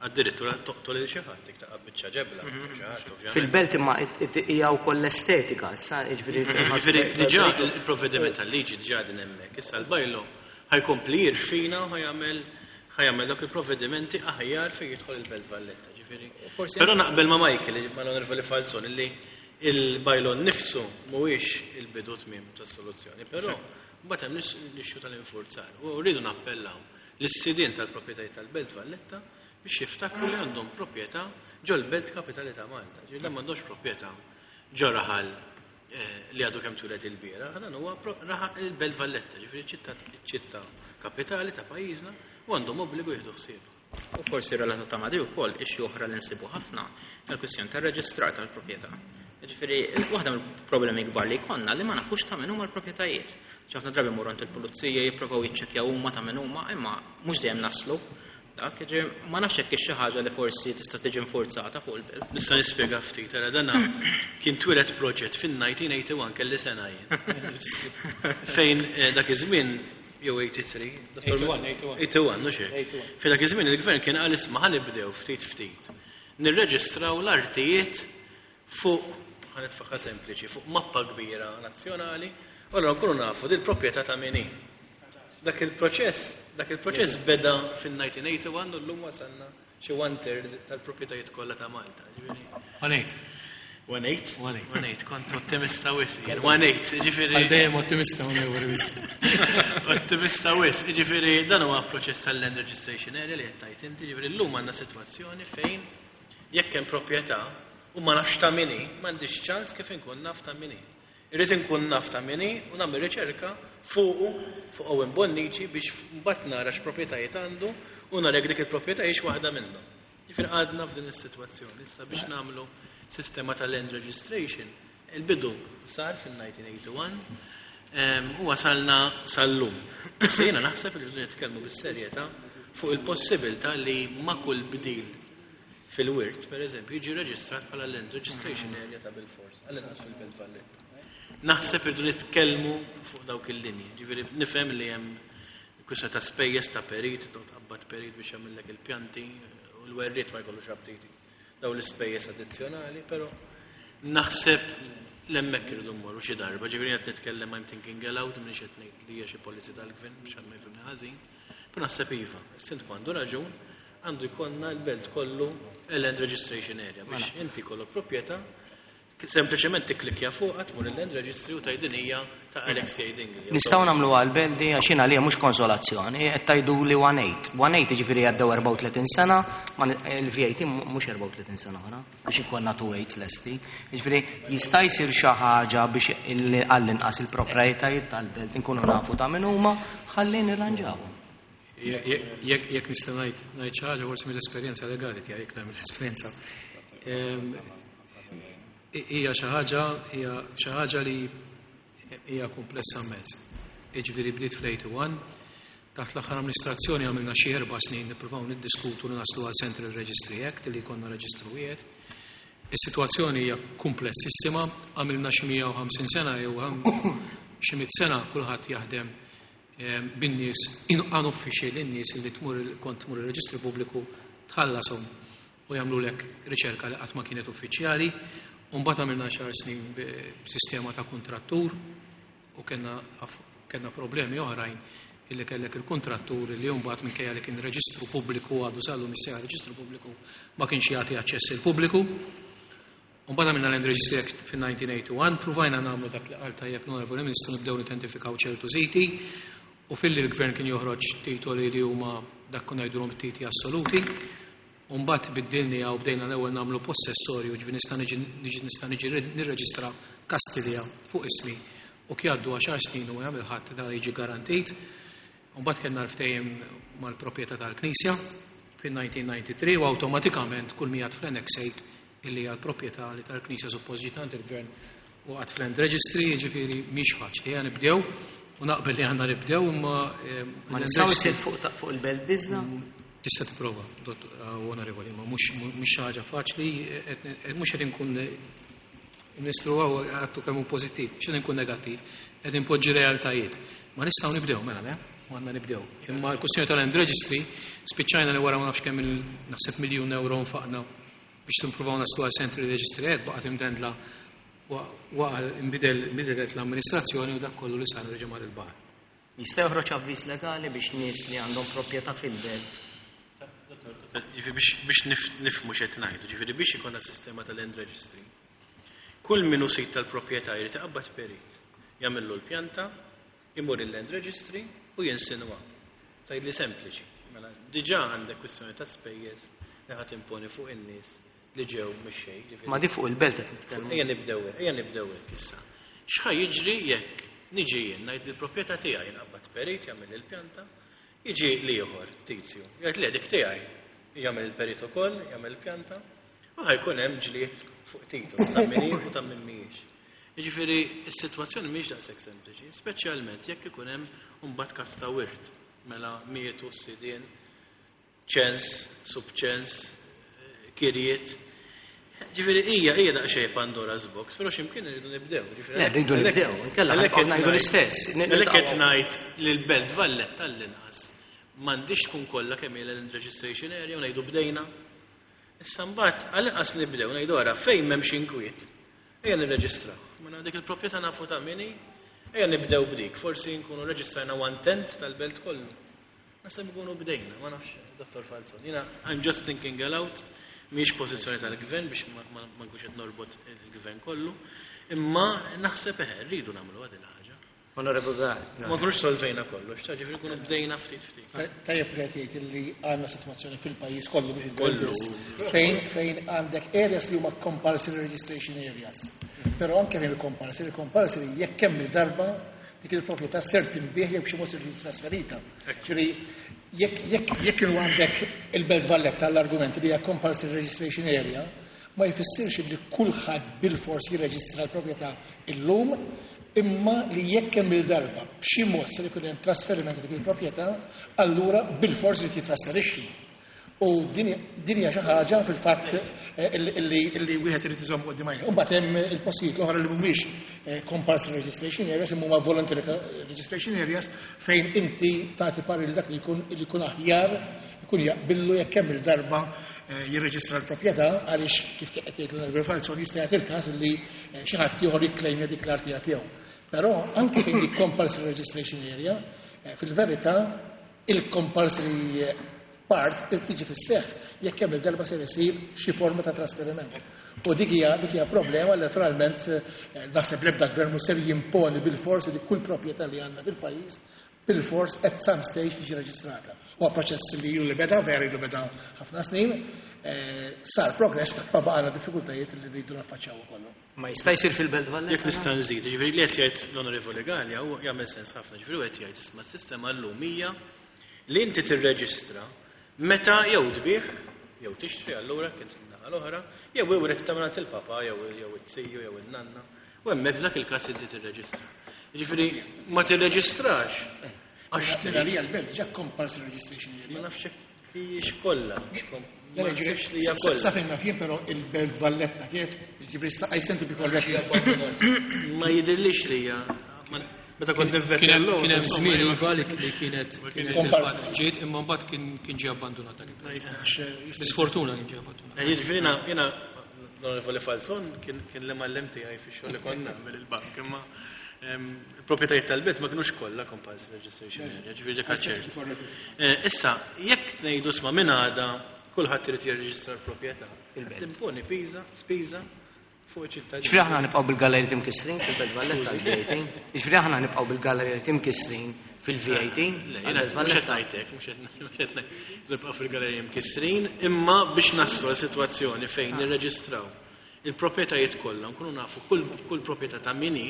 addirittura toqtol lil xi ħadd jekk taqa' biċċa ġebla, xi ħadd ovvjament. Fil-belt imma it- it- hija wkoll l-estetika, issa jiġifieri Ġifieri diġà il-provvediment tal-liġi diġà din hemmhekk. Issa l-bylaw ħa jkompli jirfina u ħa jagħmel ħa jagħmel dawk il-provvedimenti aħjar fejn jidħol il-Belt Valletta, ġifieri. Forsi Però naqbel ma' Michael, ma' l-Onorevoli Falzon, illi il-bylaw nifsu mhuwiex il-bidu tmiem tas-soluzzjoni, però mbagħad hemm l-issue tal-infurzar. U rridu nappellaw lis-sidien tal-proprjetajiet tal-Belt Valletta biex jiftakru li għandhom proprjetà ġol-Belt Kapitali ta' Malta. Ġifieri dan m'għandhomx proprjetà ġo raħal eh, li għadu kemm twieled il-bieraħ, dan huwa pro- raħal il-Belt Valletta, ġifieri ċittà ċittà kapitali ta' pajjiżna u għandhom obbligu jieħdu ħsieb. U forsi relatata ma' di wkoll issue oħra li nsibu ħafna il-kwistjoni tar-reġistrar tal-proprjetà. Ġifieri, waħda mill-problemi kbar li jkollna li ma nafux ta' min huma l-proprjetajiet. Ħafna drabi mmorru għand il-pulizija jippruvaw jiċċekkjaw huma ta' min huma, imma mhux dejjem naslu. Dak, ġifieri, ma nafx hekk xi ħaġa li forsi tista' tiġi infurzata fuq il-belt. Nista' nispjega ftit, ara dana kien twieled proġett fin-elf disa' mija u wieħed u disgħin, kelli sena jien. Fejn eh, dak iż-żmien jew eighty-three, Dottor eighty-one, eighty-one. eighty-one, mhux hekk? eighty-one. Fi dak iż-żmien il-gvern kien qal isma' ħa nibdew ftit ftit. Nirreġistraw l-artijiet fuq, ħa nitfaħħa sempliċi, fuq mappa kbira nazzjonali, u allura nkunu nafu dil proprjetà ta' min hi. Dak il-proċess, dak il-proċess beda fin-nineteen eighty-one u llum wasalna xi one third tal-proprjetajiet kollha ta' Malta. Ġifieri One eight. One eight? One eight. One eight, kont ottimista wisq. One eight, ġifieri. Għal dejjem ottimista, onorevoli wisq. Ottimista wisq, ġifieri dan huwa proċess tal-Land Registration Area li qed tgħid inti, ġifieri llum għandna sitwazzjoni fejn jekk hemm proprjetà u ma nafx ta' min hi, m'għandix ċans kif inkun naf ta' min hi. Irrid inkun naf ta' min hi u nagħmel riċerka fuqu, fuq Owen Bonnici biex mbagħad nara x'proprjetajiet għandu u nara jekk dik il-proprjetà hix waħda minnhom. Ġifieri għadna f'din is-sitwazzjoni issa biex nagħmlu sistema ta' land registration. Il-bidu sar fil-nineteen eighty-one, em, u wasalna sal-lum. Issa jiena naħseb li rridu nitkellmu bis-serjetà fuq il-possibilità li ma' kull bdil fil-wirt, per eżempju, jiġi reġistrat bħala land registration area ta' bil-fors, għall-inqas fil-Belt Valletta. Naħseb irridu nitkellmu fuq dawk il-linji. Ġifieri nifhem li hemm kwistjoni ta' spejjeż ta' perit, ta' tqabbad perit biex jagħmellek il-pjanti, u l-werriet ma jkollux aptiti. Daw l-ispejjeż addizzjonali, però naħseb l-hemmhekk irridu mmorru xi darba. Ġifieri qed nitkellem, I'm thinking aloud, m'iniex qed ngħid li hija xi policy tal-gvern biex ma jifhimni ħażin. Però naħseb iva, is-sindku għandu raġun, għandu jkollna l-belt kollu land registration area biex Mela. inti kollok proprjetà sempliċement tikklikja fuqha, tmur il-land registry u tgħid din hija ta' Alexei Dingli. Nistgħu nagħmlu għall-Belt di għax jiena għalija mhux konsolazzjoni, qed tgħidu li one eight. One eight jiġifieri għaddew erbgħa u tletin sena, ma ni-, il-V A T mu-, mhux erbgħa u tletin sena oħra, biex ikollna two eights lesti. Jiġifieri jista' jsir xi ħaġa biex il-, għall-inqas il-proprjetajiet tal-belt inkunu nafu ta' min huma, ħalli nirranġawhom. Jekk, jekk nista' ngħid, ngħid xi ħaġa forsi mill-esperjenza legali tiegħi, jekk nagħmel esperjenza. Ehm, hija xi ħaġa, hija xi ħaġa li hija komplessa immens. Jiġifieri bdiet fl-eighty-one, taħt l-aħħar amministrazzjoni għamilna xi erba' snin nippruvaw niddiskutu li naslu għal Central Registry Act li jkollna reġistru wieħed. Is-sitwazzjoni hija komplessissima, għamilna xi mija u ħamsin sena jew xi mitt sena kulħadd jaħdem, ehm, bin-nies unuffiċjali, lin-nies li tmur il-, kont tmur ir-reġistru pubbliku tħallasom u jagħmlulek riċerka li qatt ma kienet uffiċjali. U mbagħad għamilna xar snin b'sistema ta' kontrattur u kellna aff-, kellna problemi oħrajn illi kellek il-kontrattur li mbagħad minkejja li kien reġistru pubbliku għadu sal-lum issejjaħ reġistru pubbliku ma kienx jagħti aċċess il-pubbliku. U mbagħad għamilna Land Registry Act fin-nineteen eighty-one, pruvajna nagħmlu dak li qal tajjeb l-Onorevoli Ministru, nibdew nidentifikaw ċertu siti u filli l-gvern kien joħroġ titoli li huma dak kun ngħidulhom titoli assoluti. U mbagħad biddilni u bdejna l-ewwel nagħmlu possessorju, ġifieri nista' niġi, niġi, nista' niġi nirreġistra Kastilja fuq ismi u kif jgħaddu għaxar snin u jagħmel ħadd da jiġi garantit. U mbagħad kellna l-ftehim mal-proprjetà tal-Knisja fin-nineteen ninety-three u awtomatikament kull min jgħad fl-Annex eight illi hija l-proprjetà li tal-Knisja suppost ġiet għand il-Gvern u għad fl-Land Registry, jiġifieri mhix faċli. Ejja nibdew u naqbel li għandna nibdew imma, eh, Ma l-Land nistgħu Registry jsir fuq ta-, fuq il-belt biżna? Tista' tipprova, dott-, eh, onorevoli, ma mhux, mhux xi ħaġa faċli, eh, eh, mhux qed inkun Ministru għaw għattu kemm hu pożittiv, x'qed inkun negattiv, qed inpoġġi realtajiet. Ma nistgħu nibdew mela, le? U għandna nibdew. Imma l-kwestjoni tal-Land Registry spiċċajna li wara ma nafx kemm il-, naħseb miljun euro nfaqna biex timpruvaw naslu għal Central Registry Act, baqgħet imdendla waqa' imbidel, inbidlet l-amministrazzjoni u dak kollu li sar reġa' mar il-baħar. Jista' joħroġ avviż legali biex nies li għandhom proprjetà fil-belt. Ġifieri biex, biex nif-, nifhmu x'qed ngħidu, ġifieri biex ikollna sistema tal-Land Registry. Kull min hu sid tal-proprjetà jrid iqabbad perit, jagħmillu l-pjanta, imur il-Land Registry u jinsinwa. Tgħidli sempliċi. Mela diġà għandek kwistjoni ta' spejjeż li ħadd imponi fuq in-nies li ġew mix-xejn, ġifieri. Ma di fuq il-belt qed nitkellmu. Ejja nibdew hekk, ejja nibdew hekk issa. X'ħa jiġri jekk niġi jien ngħid li l-proprjetà tiegħi nqabbad perit jagħmel il-pjanta, jiġi l-ieħor tizju, jgħid li dik tiegħi, jagħmel il-perit ukoll, jagħmel il-pjanta, u ħajkun hemm ġlied fuq titolu ta' min hi u ta' min mhijiex. Jiġifieri s-sitwazzjoni mhix daqshekk sempliċi, speċjalment jekk ikun hemm imbagħad każ ta' wirt, mela mietu s-sidien, ċens, subċens, kirjiet. Ġifieri hija hija daqsxejn Pandora's box, però x'imkien irridu nibdew. Le, rridu nibdew, inkella ħa ngħidu l-istess. Għalhekk qed ngħid li l-Belt Valletta tal-inqas m'għandix tkun kollha kemm hija land registration area u ngħidu bdejna. Issa mbagħad għall-inqas nibdew ngħidu ara fejn m'hemmx inkwiet. Ejja nirreġistraw. Mela dik il-proprjetà nafu ta' min hi, ejja nibdew b'dik, forsi nkunu reġistrajna one tenth tal-belt kollu. Naħseb nkunu bdejna, ma nafx, Dottor Falzon. Jiena I'm just thinking aloud, mhix pożizzjoni tal-gvern biex ma nkunx qed norbot il-gvern kollu, imma naħseb eħe rridu nagħmlu għad il-ħaġa. Onorevole Galea. Ma nkunux solvejna kollox, ta' ġifieri nkunu bdejna ftit ftit. Tajjeb li qed jgħid li għandna sitwazzjoni fil-pajjiż kollu biex il-belt biss, fejn fejn għandek areas li huma compulsory registration areas. Però anke fejn il-compulsory, compulsory jekk kemm il-darba dik il-proprjetà ser tinbiegħ jew b'xi mod ser tiġi trasferita. Ġifieri jekk jekk jekk kienu għandek il-Belt Valletta l-argument li hija compulsory registration area, ma jfissirx li kulħadd bil-fors jirreġistra l-proprjetà illum, imma li jekk hemm il-darba b'xi mod ser ikun hemm trasferiment dik il-proprjetà, allura bil-fors li titrasferixxi. U din hija xi ħaġa fil-fatt illi illi wieħed irid iżomm quddiem għajnejh. U mbagħad hemm il-postijiet l-oħra li mhumiex compulsory registration areas, imma huma voluntary registration areas fejn inti tagħti parir dak li jkun li jkun aħjar ikun jaqbillu jekk hemm il-darba jirreġistra l-proprjetà għaliex kif qed jgħid l-Onorevole Falzon jista' jagħti il-każ li xi ħadd ieħor jikklejmja dik l-artija tiegħu. Però anke fejn il compulsory registration area, fil-verità il-compulsory part tiġi fis-seħħ jekk hemm il-darba se jsir xi forma ta' trasferiment. U dik hija dik hija problema li naturalment naħseb l-ebda gvern mhux ser jimponi bil-fors li kull proprjetà li għandna fil-pajjiż bil-fors at some stage tiġi reġistrata. Huwa proċess li ilu li beda, veru ilu beda ħafna snin, sar progress, ma baqgħna diffikultajiet li rridu naffaċċjaw ukoll. Ma jista' jsir fil-Belt Valletta? Jekk nista' nżid, ġifieri li qed jgħid l-Onorevoli Galea huwa jagħmel sens ħafna, ġifieri qed jgħid isma' s-sistema llum hija li inti tirreġistra meta jew tbigħ jew tixtri allura kien naħa l-oħra, jew iwret ta' mingħand il-papa jew jew it-siju jew in-nanna, u hemmhekk f'dak il-każ inti tirreġistra. Ġifieri ma tirreġistrax għax Għalija l-belt ġa compulsory registration area. Ma nafx hekk hijiex kollha. Ma naħsibx li hija kollha. Sa fejn naf jien però il-Belt Valletta kienet, ġifieri I stand to be corrected. Ma jidhirlix li hija. Meta kont nivvetti Kien hemm l-lum, kien hemm insomma, żmien jiena- iva li li kienet kienet Compulsory. ġiet imma mbagħad kien kien ġie abbandonat dak Ma jistax. Bisfortuna kien ġie abbandonat. Eh, Jiġifieri jiena jiena l-Onorevoli Falzon kien kien l-imgħallem tiegħi fix-xogħol li kont nagħmel il-bank, imma ehm, il-proprjetajiet tal-belt ma kinux kollha compulsory registration area, ġifieri dik ċert. Eh, Issa, jekk ngħidu isma' minn għada kulħadd irid jirreġistra l-proprjetà, timponi piża, spiża fuq iċ-ċittadini. Ġifieri aħna nibqgħu bil-galleriji imkissrin fil-Belt Valletta għal-V A T. Ġifieri aħna nibqgħu bil-galleriji imkissrin fil-V A T. Le, jiena mhux qed ngħidlek, mhux qed mhux qed ngħid nibqgħu fil-galleriji mkissrin, imma biex naslu għal sitwazzjoni fejn nirreġistraw il-proprjetajiet kollha, nkunu nafu kull kull proprjetà ta' min hi.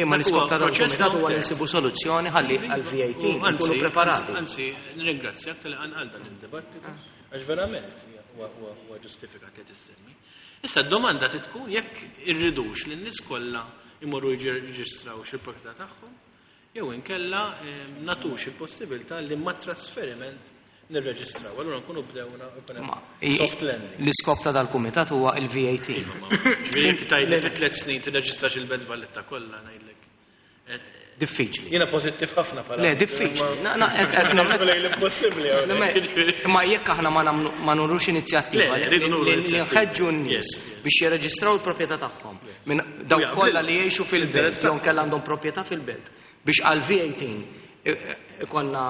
Imma Dak l-iskop huwa ta' dan proċess il-kumitat huwa long li term. nsibu soluzzjoni ħalli għal-V A T U anzi, nkunu preparati. Anzi, nirringrazzjak tal għal dan il-dibattitu, għax verament huwa huwa huwa ġustifikat li tissemmi. Issa d-domanda tkun jekk irridux li n-nies kollha imorru jirreġistraw xi proprjetà tagħhom, jew inkella eh, nagħtux il-possibilità li ma trasferiment nirreġistraw. Allura nkunu bdewna ikun hemm Ma, i- soft landing. L-iskop ta' dal-kumitat huwa il-V A T. Iva, ma- Ġifieri jekk tgħidli fi tliet snin tirreġistrax il-Belt Valletta kollha ngħidlek. Eh, Diffiċli. Jiena pożittiv ħafna bħala. Le, diffiċli. Na- na- qed- qed Nagħmel l-impossibbli hawnhekk. Ma jekk aħna ma nagħmlu ma nurux inizjattiva Le, rridu nuru li inizjattiva. nħeġġu n-nies Yes, yes. biex jirreġistraw il-proprjetà tagħhom minn dawk jaqbel. kollha li jgħixu fil-belt Interessat. jew kellha għandhom proprjetà fil-belt biex għal V A T ikonna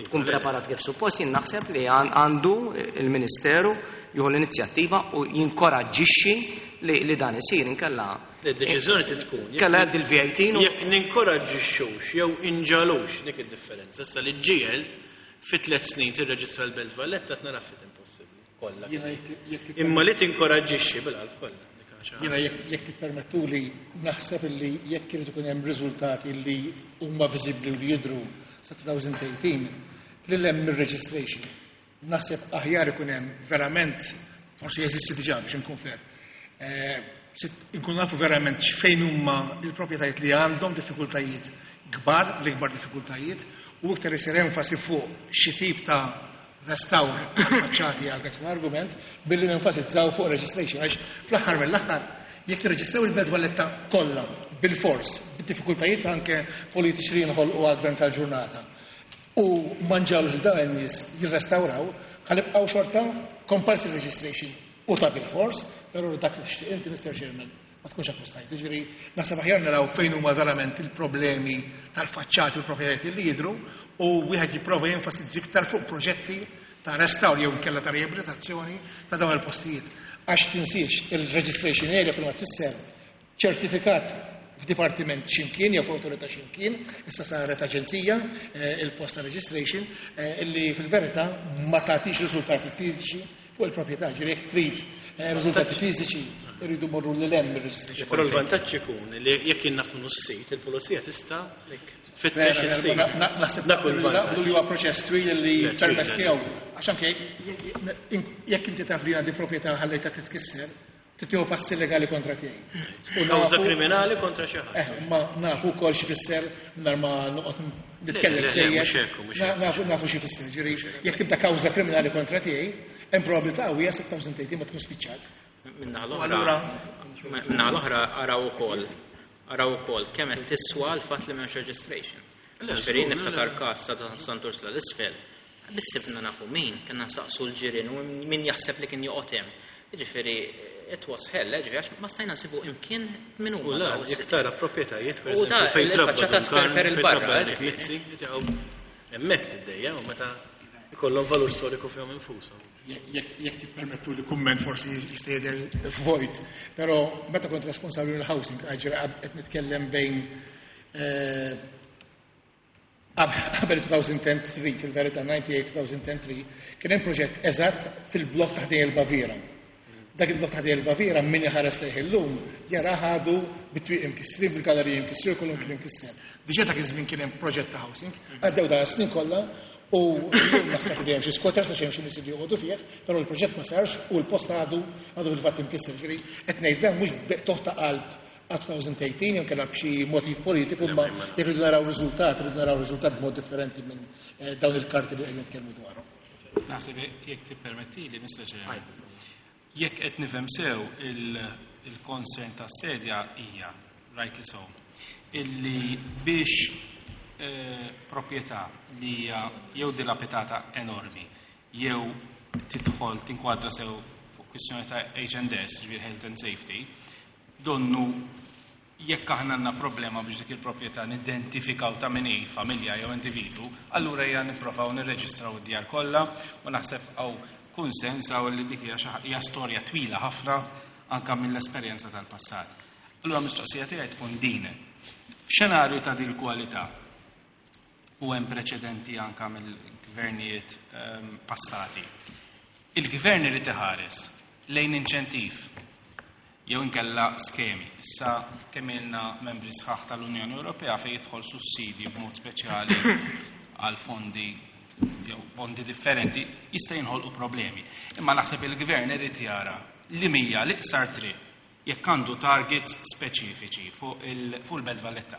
tkun preparat kif suppost, jien naħseb li għan- għandu il-Ministeru jieħu l-inizjattiva u jinkoraġġixxi li li dan isir inkella Id-deċiżjoni trid tkun. Jekk- kella għaddi l-V A T u Jekk ninkoraġġixxux jew inġalux dik id-differenza. Issa li ġiel fi tliet snin tirreġistra l-Belt Valletta tnara fit impossibbli. Kollha. Jiena jekk jekk Imma li tinkoraġġixxi bil-qalb kollha. Dik ħaġa. Jiena jekk jekk tippermettu li naħseb illi jekk irid ikun hemm riżultati li huma viżibbli u li jidhru sa elfejn u tmintax li hemm ir-registration. Naħseb aħjar ikun hemm verament, forsi jeżisti diġà biex inkun fair. Eh, sit- Inkun nafu verament x'fejn huma il-proprjetajiet li għandhom diffikultajiet kbar, l-ikbar diffikultajiet, u iktar isir enfasi fuq xi tip ta' restawr faċċati għal l-argument billi nenfasizzaw fuq registration, għax fl-aħħar mill-aħħar jekk tirreġistraw il-Belt Valletta kollha bil-fors, bid-diffikultajiet anke politiċi li jinħolqu għall-gvern tal-ġurnata, u ma nġagħlux dawn in-nies jirrestawraw, ħa nibqgħu xorta compulsory registration u ta' bil-fors, però dak li tixtieq inti, Mister Chairman, ma tkunx akkwistajt. Ġifieri naħseb aħjar naraw fejn huma verament il-problemi tal-faċċati u l-proprjetajiet li jidhru u wieħed jipprova jenfasizza iktar fuq proġetti ta' restawr jew inkella ta' riabilitazzjoni ta' dawn il-postijiet. Għax tinsiex il-registration area kull ma tfisser ċertifikat f'dipartiment ximkien jew f'awtorità ximkien, issa saret aġenzija eh, il-post ta' registration eh, illi fil-verità ma tagħtix riżultati fiżiċi fuq il-proprjetà, ġifieri jekk trid eh, riżultati fiżiċi irridu morru lil hemm mir-registration. Però l-vantaġġ ikun li jekk jien naf minnu s-sit, il-pulizija tista' tfittex is-sit. Naħseb Dak hu l-vantaġġ. li huwa proċess twil li Le, twil, permess le. tiegħu. Għax anke jekk inti taf li għandi proprjetà ħallejta titkisser, titieħu passi legali kontra tiegħi. U Kawża nafu- kriminali kontra xi ħadd. Eh, ma nafu wkoll xi fisser nhar ma noqgħod nitkellem Le, le, le, sejjer. mhux hekk, mhux Na- hekk. Nafu nafu xi fisser. Ġifieri jekk tibda kawża kriminali kontra tiegħi, hemm probabilità qawwija elfejn u tmintax ma tkun spiċċat. Minna U l-oħra, allura minna l-oħra araw ukoll, araw ukoll kemm qed tiswa l-fatt li m'hemmx registration. Le, Ġifieri żgur, le, niftakar le. każ ta' Sant'Ursula l-isfel. Bissibna nafu min, kien nsaqsu l-ġirien u min jaħseb li kien joqgħod hemm. Ġifieri it was hell, eh, ġifieri għax ma stajna nsibu imkien min U huma la, daw jekk is-sitt. tara proprjetajiet, per U da, eżempju, fejn trabba il-faċċata Don Carm, tperper fejn il-barra, trabba Eric ġifieri. Mizzi, jtiegħu hemmhekk tiddejja u meta ikollhom valur storiku fihom infushom. Jekk jekk tippermettu li kumment forsi jista' jidher vojt, però meta kont responsabbli mill-housing, ġifieri qed nitkellem bejn eh, qabel elfejn u tlieta, fil-verità disgħa u disgħin-elfejn u tlieta, kien hemm proġett eżatt fil-blok ta' ħdejn il-Baviera. Dak il-blok ta' ħdejn il-Baviera min iħares lejh illum jara ħadu bit-twieq imkissrin, bil-galeriji imkissrin, kollu kien imkisser. Diġà dak iż-żmien kien hemm proġett ta' housing, għaddew dan snin kollha u llum naħseb li hemm xi squatters għax hemm xi nies li joqogħdu fih, però l-proġett ma sarx u l-post għadu għadu fil-fatt imkisser. Ġifieri qed ngħid dan mhux b'qtugħ ta' qalb għal elfejn u tmintax jew kellha b'xi motiv politiku, ma jekk rridu naraw riżultat, rridu naraw riżultat b'mod differenti minn eh, dawn il-karti li qegħdin nitkellmu dwarhom. Naħseb jekk tippermetti li, Mister Chairman. Jekk qed nifhem sew il-concern tas-sedja hija, rightly so, illi biex eh, proprjetà li hija jew dilapidata enormi jew tidħol tinkwadra sew fuq kwistjoni ta' H and S, ġifieri health and safety, donnu jekk aħna għandna problema biex dik il-proprjetà nidentifikaw ta' min hi, familja jew individu, allura hija nipprovaw nirreġistraw id-djar kollha u naħseb hawn kunsens hawn li dik hija xi ħa- hija storja twila ħafna anka mill-esperjenza tal-passat. Allura mistoqsija tiegħi tkun din. F'xenarju ta' din kwalità u hemm preċedenti anka mill-gvernijiet ehm, passati. Il-gvern irid iħares lejn inċentiv jew inkella skemi. Issa kemm ilna membri sħaħ tal-Unjoni Ewropea fejn jidħol sussidji b'mod speċjali għal fondi jew fondi differenti jista' jinħolqu problemi. Imma naħseb il-gvern irid jara li mija l-iqsar triq jekk għandu targets speċifiċi fuq il- fuq il-Belt Valletta.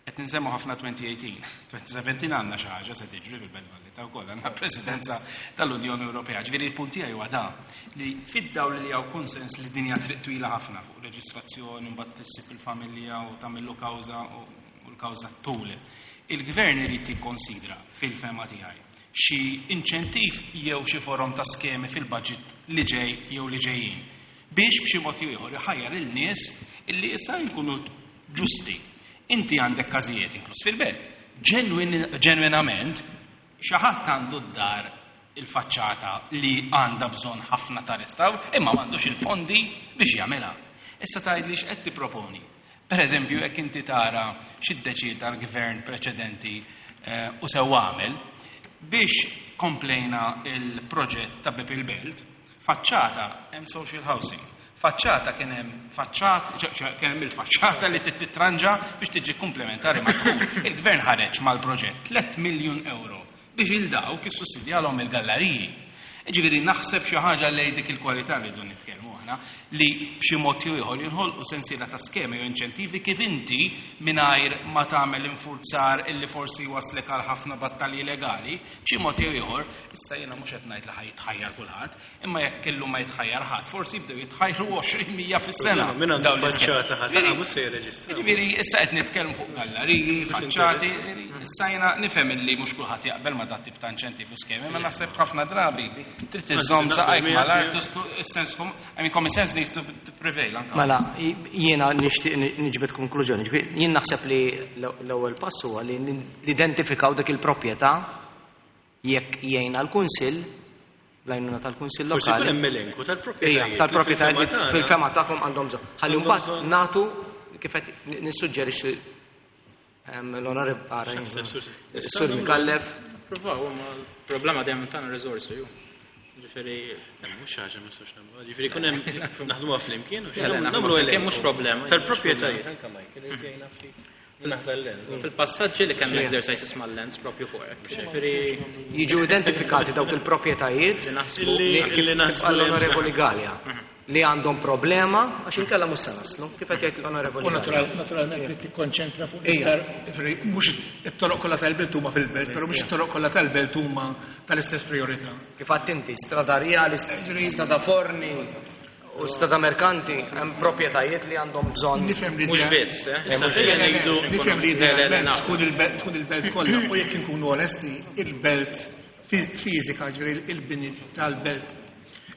Qed nsemmu ħafna elfejn u tmintax. elfejn u sbatax għandna xi ħaġa se tiġri fil-Belt Valletta wkoll għandna Presidenza tal-Unjoni Ewropea. Ġifieri il-punt tiegħi huwa da li fid-dawl li hawn konsens li dinja triq twila ħafna fuq reġistrazzjoni, mbagħad tissib il-familja u tagħmillu kawża u u l-kawża tul. Il-gvern irid jikkonsidra fil-fehma tiegħi xi inċentiv jew xi forom ta' skemi fil-budget li ġej jew li ġejjin biex b'xi mod jew ieħor iħajjar il-nies illi issa jkunu ġusti. Inti għandek każijiet inkluż fil-belt. Ġenwin- Ġenwinament xi ħadd għandu d-dar il-faċċata li għandha bżonn ħafna ta' restawr, imma m'għandux il-fondi biex jagħmilha. Issa tgħidli x'qed tipproponi. Per eżempju, jekk inti tara x'iddeċida l-gvern preċedenti eh, u sew għamel biex komplejna il-proġett ta' Bib il-Belt, faċċata hemm social housing. Faċċata kien hemm faċċata, ċe- ċe- kien hemm il-faċċata li trid titranġa biex tiġi komplementari mad-dħul. Il-gvern ħareġ mal-proġett tliet miljun euro biex il dawk issussidjalhom il-galleriji. Ġifieri naħseb xi ħaġa lejn dik il-kwalità li rridu nitkellmu aħna li b'xi mod jew ieħor jinħolqu sensiela ta' skemi jew inċentivi kif inti mingħajr ma tagħmel infurzar illi forsi waslek għal ħafna battalji legali, b'xi mod jew ieħor, issa jiena mhux qed ngħid li ħa jitħajjar kulħadd, imma jekk illum ma jitħajjar ħadd, forsi jibdew jitħajru għoxrin mija fis-sena. Min għandu Dawn l-iskemi. faċċata ħadd Ġifieri, mhux se jirreġistra. Ġifieri issa qed nitkellmu fuq galleriji, faċċati, issa jiena nifhem illi mhux kulħadd jaqbel ma dat tip ta' inċentiv u skemi, ma naħseb ħafna drabi trid iżżomm saqajk mal-art, is-sens, I mean, common sense needs to prevail anka. Mela, jiena nixtieq niġbed konklużjoni. Ġifieri, jien naħseb li l-ewwel pass huwa li nidentifikaw dik il-proprjetà jekk jgħinna l-Kunsill, bl-għajnuna tal-Kunsill Forsi jkun lokali. hemm elenku tal-proprjetajiet. Ija, tal-proprjetajiet li fil-fema tagħkom għandhom bżonn. Ħalli Għandhom mbagħad bżonn. nagħtu kif qed nissuġġerixxi l-onorevoli Sur Micallef. Provaw, ma l-problema dejjem tagħna riżorsi ju. Ġifieri Mhux ħaġa ma nistax nagħmlu. Ġifieri jkun hemm naħdmuha flimkien u Le, le, nagħmlu naħdmu flimkien elenku. mhux problema. Tal-proprjetajiet anke Michael irid jgħinna ftit. Naħda l-lens. Fil-passaġġi li kemm exercises mal-lens propju fuq hekk. Ġifieri Jiġu identifikati dawk il-proprjetajiet li naħsbu Illi- li kif illi naħsbu qal li hemm l-Onorevoli bżonn. Galea li għandhom problema għax inkella mhux se naslu. Kif qed jgħid l-Onorevoli U Galea. natural- naturalment trid tikkonċentra fuq Ija. iktar, ġifieri, mhux it-toroq kollha tal-belt huma fil-belt, però mhux it-toroq kollha tal-belt huma tal-istess priorità. Kif għadt inti, Strada Rjali, Strada Forni u Strada Merkanti, hemm proprjetajiet li għandhom bżonn. Nifhem li mhux idea- biss, eh? Issa Mhux ejja biss. ngħidu- Nifhem li Le, le, le, idealment naf. tkun il-belt tkun il-belt kollha u jekk inkunu onesti, il-belt fiż- fiżika, ġifieri il-bini tal-belt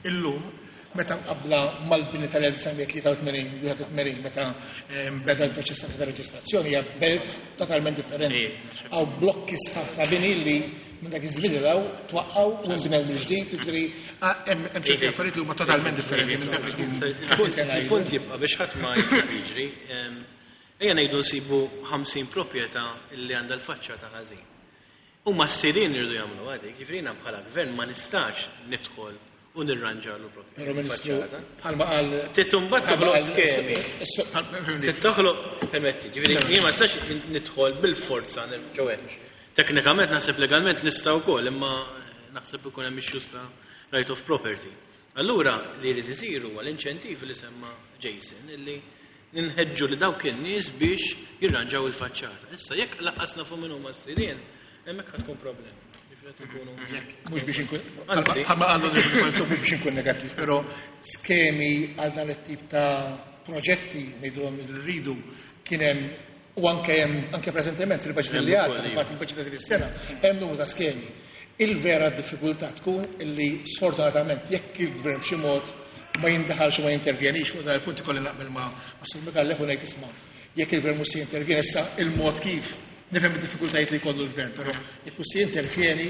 illum meta mqabbla mal-bini tal-elf disa' mija tlieta u tmenin, wieħed u tmenin, meta ehm, beda l-proċess ta' reġistrazzjoni hija belt totalment differenti. Ija. Hawn blokki sħaħ ta' bini li minn dak iż-żmien ilaw twaqqgħu u nbnew mill-ġdid, jiġifieri ah, hemm hemm ċerti Iva. affarijiet li huma totalment differenti minn dak li kien sena ilu. Il-punt jibqa' biex ħadd ma jiġri. ehm, Ejja ngħidu nsibu ħamsin proprjetà li għandha l-faċċata ħażin. Huma s-sidien iridu jagħmlu għadik, ġifieri jiena bħala gvern ma nistax nidħol u nirranġalu proprjetà. Però Ministru, bħalma qal Trid imbagħad toħloq skemi. skemi. Toħloq permetti, ġifieri jien ma nistax nidħol bil-forza ġewwa. Teknikament naħseb legalment nista' wkoll, imma naħseb ikun hemm issues ta' right of property. Allura li jrid isir huwa l-inċentivi li semma Jason illi ninħeġġu li dawk in-nies biex jirranġaw il-faċċata. Issa jekk laqqasna fuq min huma s-sidien, hemmhekk ħad tkun problema. Ġifieri qed ikunu Mhux biex inkun Anzi. bħalma qal l-Onorevoli mhux biex inkun negattiv, però skemi għal dan it-tip ta' proġetti ngħidulhom li rridu kien hemm u anke hemm anke preżentement fil-budget Hemm li għadda, ukoll, iva. fil-fatt il-budget ta' din is-sena, hemm numru ta' skemi. Il-vera diffikultà tkun illi sfortunatament jekk il-gvern b'xi mod ma jindaħalx u ma jintervjenix fuq dan il-punt ikolli naqbel ma' ma' Sur Micallef u ngħid isma' jekk il-gvern mhux se jintervjeni issa il-mod kif nifhem id-diffikultajiet li jkollu l-gvern, però jekk mhux se jintervjeni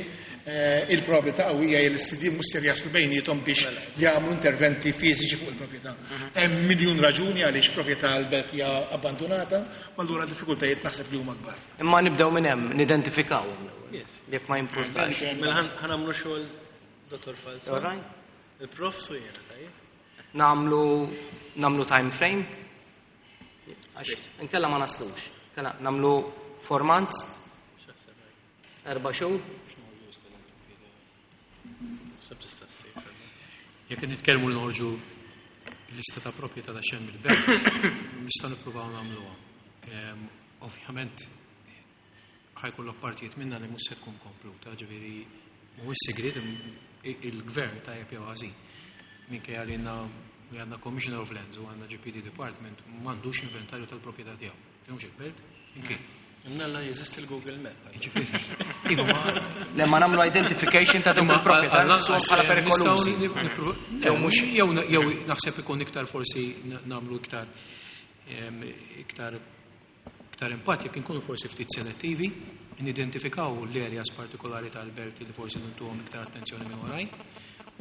eh, il-probabilità qawwija li s-sidien mhux ser jaslu bejniethom biex jagħmlu interventi fiżiċi fuq il-proprjetà. Hemm miljun raġuni għaliex proprjetà l-belt hija abbandonata, u allura diffikultajiet naħseb li huma kbar. Imma nibdew minn hemm, nidentifikawhom l-ewwel. Yes. Jekk ma jimpurtax. Mela ħan- ħanamlu xogħol Dottor Falzon. All right? Il-prof su jiena, tajjeb? Namlu namlu time frame. Għax inkella ma naslux. Inkella namlu four months, X'aħseb għaj? erba' xhur. Sab tista' ssir. Jekk nitkellmu li noħorġu lista ta' proprjetà ta' xemm il-belt, nistgħu nippruvaw nagħmluha. Ehm, Ovvjament ħa jkollok partijiet minna li mhux se tkun kompluta, ġifieri mhuwiex segret il-gvern tajjeb jew ħażin. Minkejja li għandna li għandna Commissioner of Lands u għandna G P D Department m'għandux inventarju tal-proprjetà tiegħu. Mhux il-belt, inkien. Imnalla jeżisti l-Google Map. Ġifieri, iva ma Le ma nagħmlu identification ta' dawk il-proprjetà naqsuhom bħala perikolużi. Jew mhux jew jew naħseb ikun iktar forsi nagħmlu iktar em, iktar iktar impatt jekk inkunu forsi ftit selettivi, nidentifikaw l-areas partikolari tal-belt li forsi ntuhom iktar attenzjoni minn oħrajn.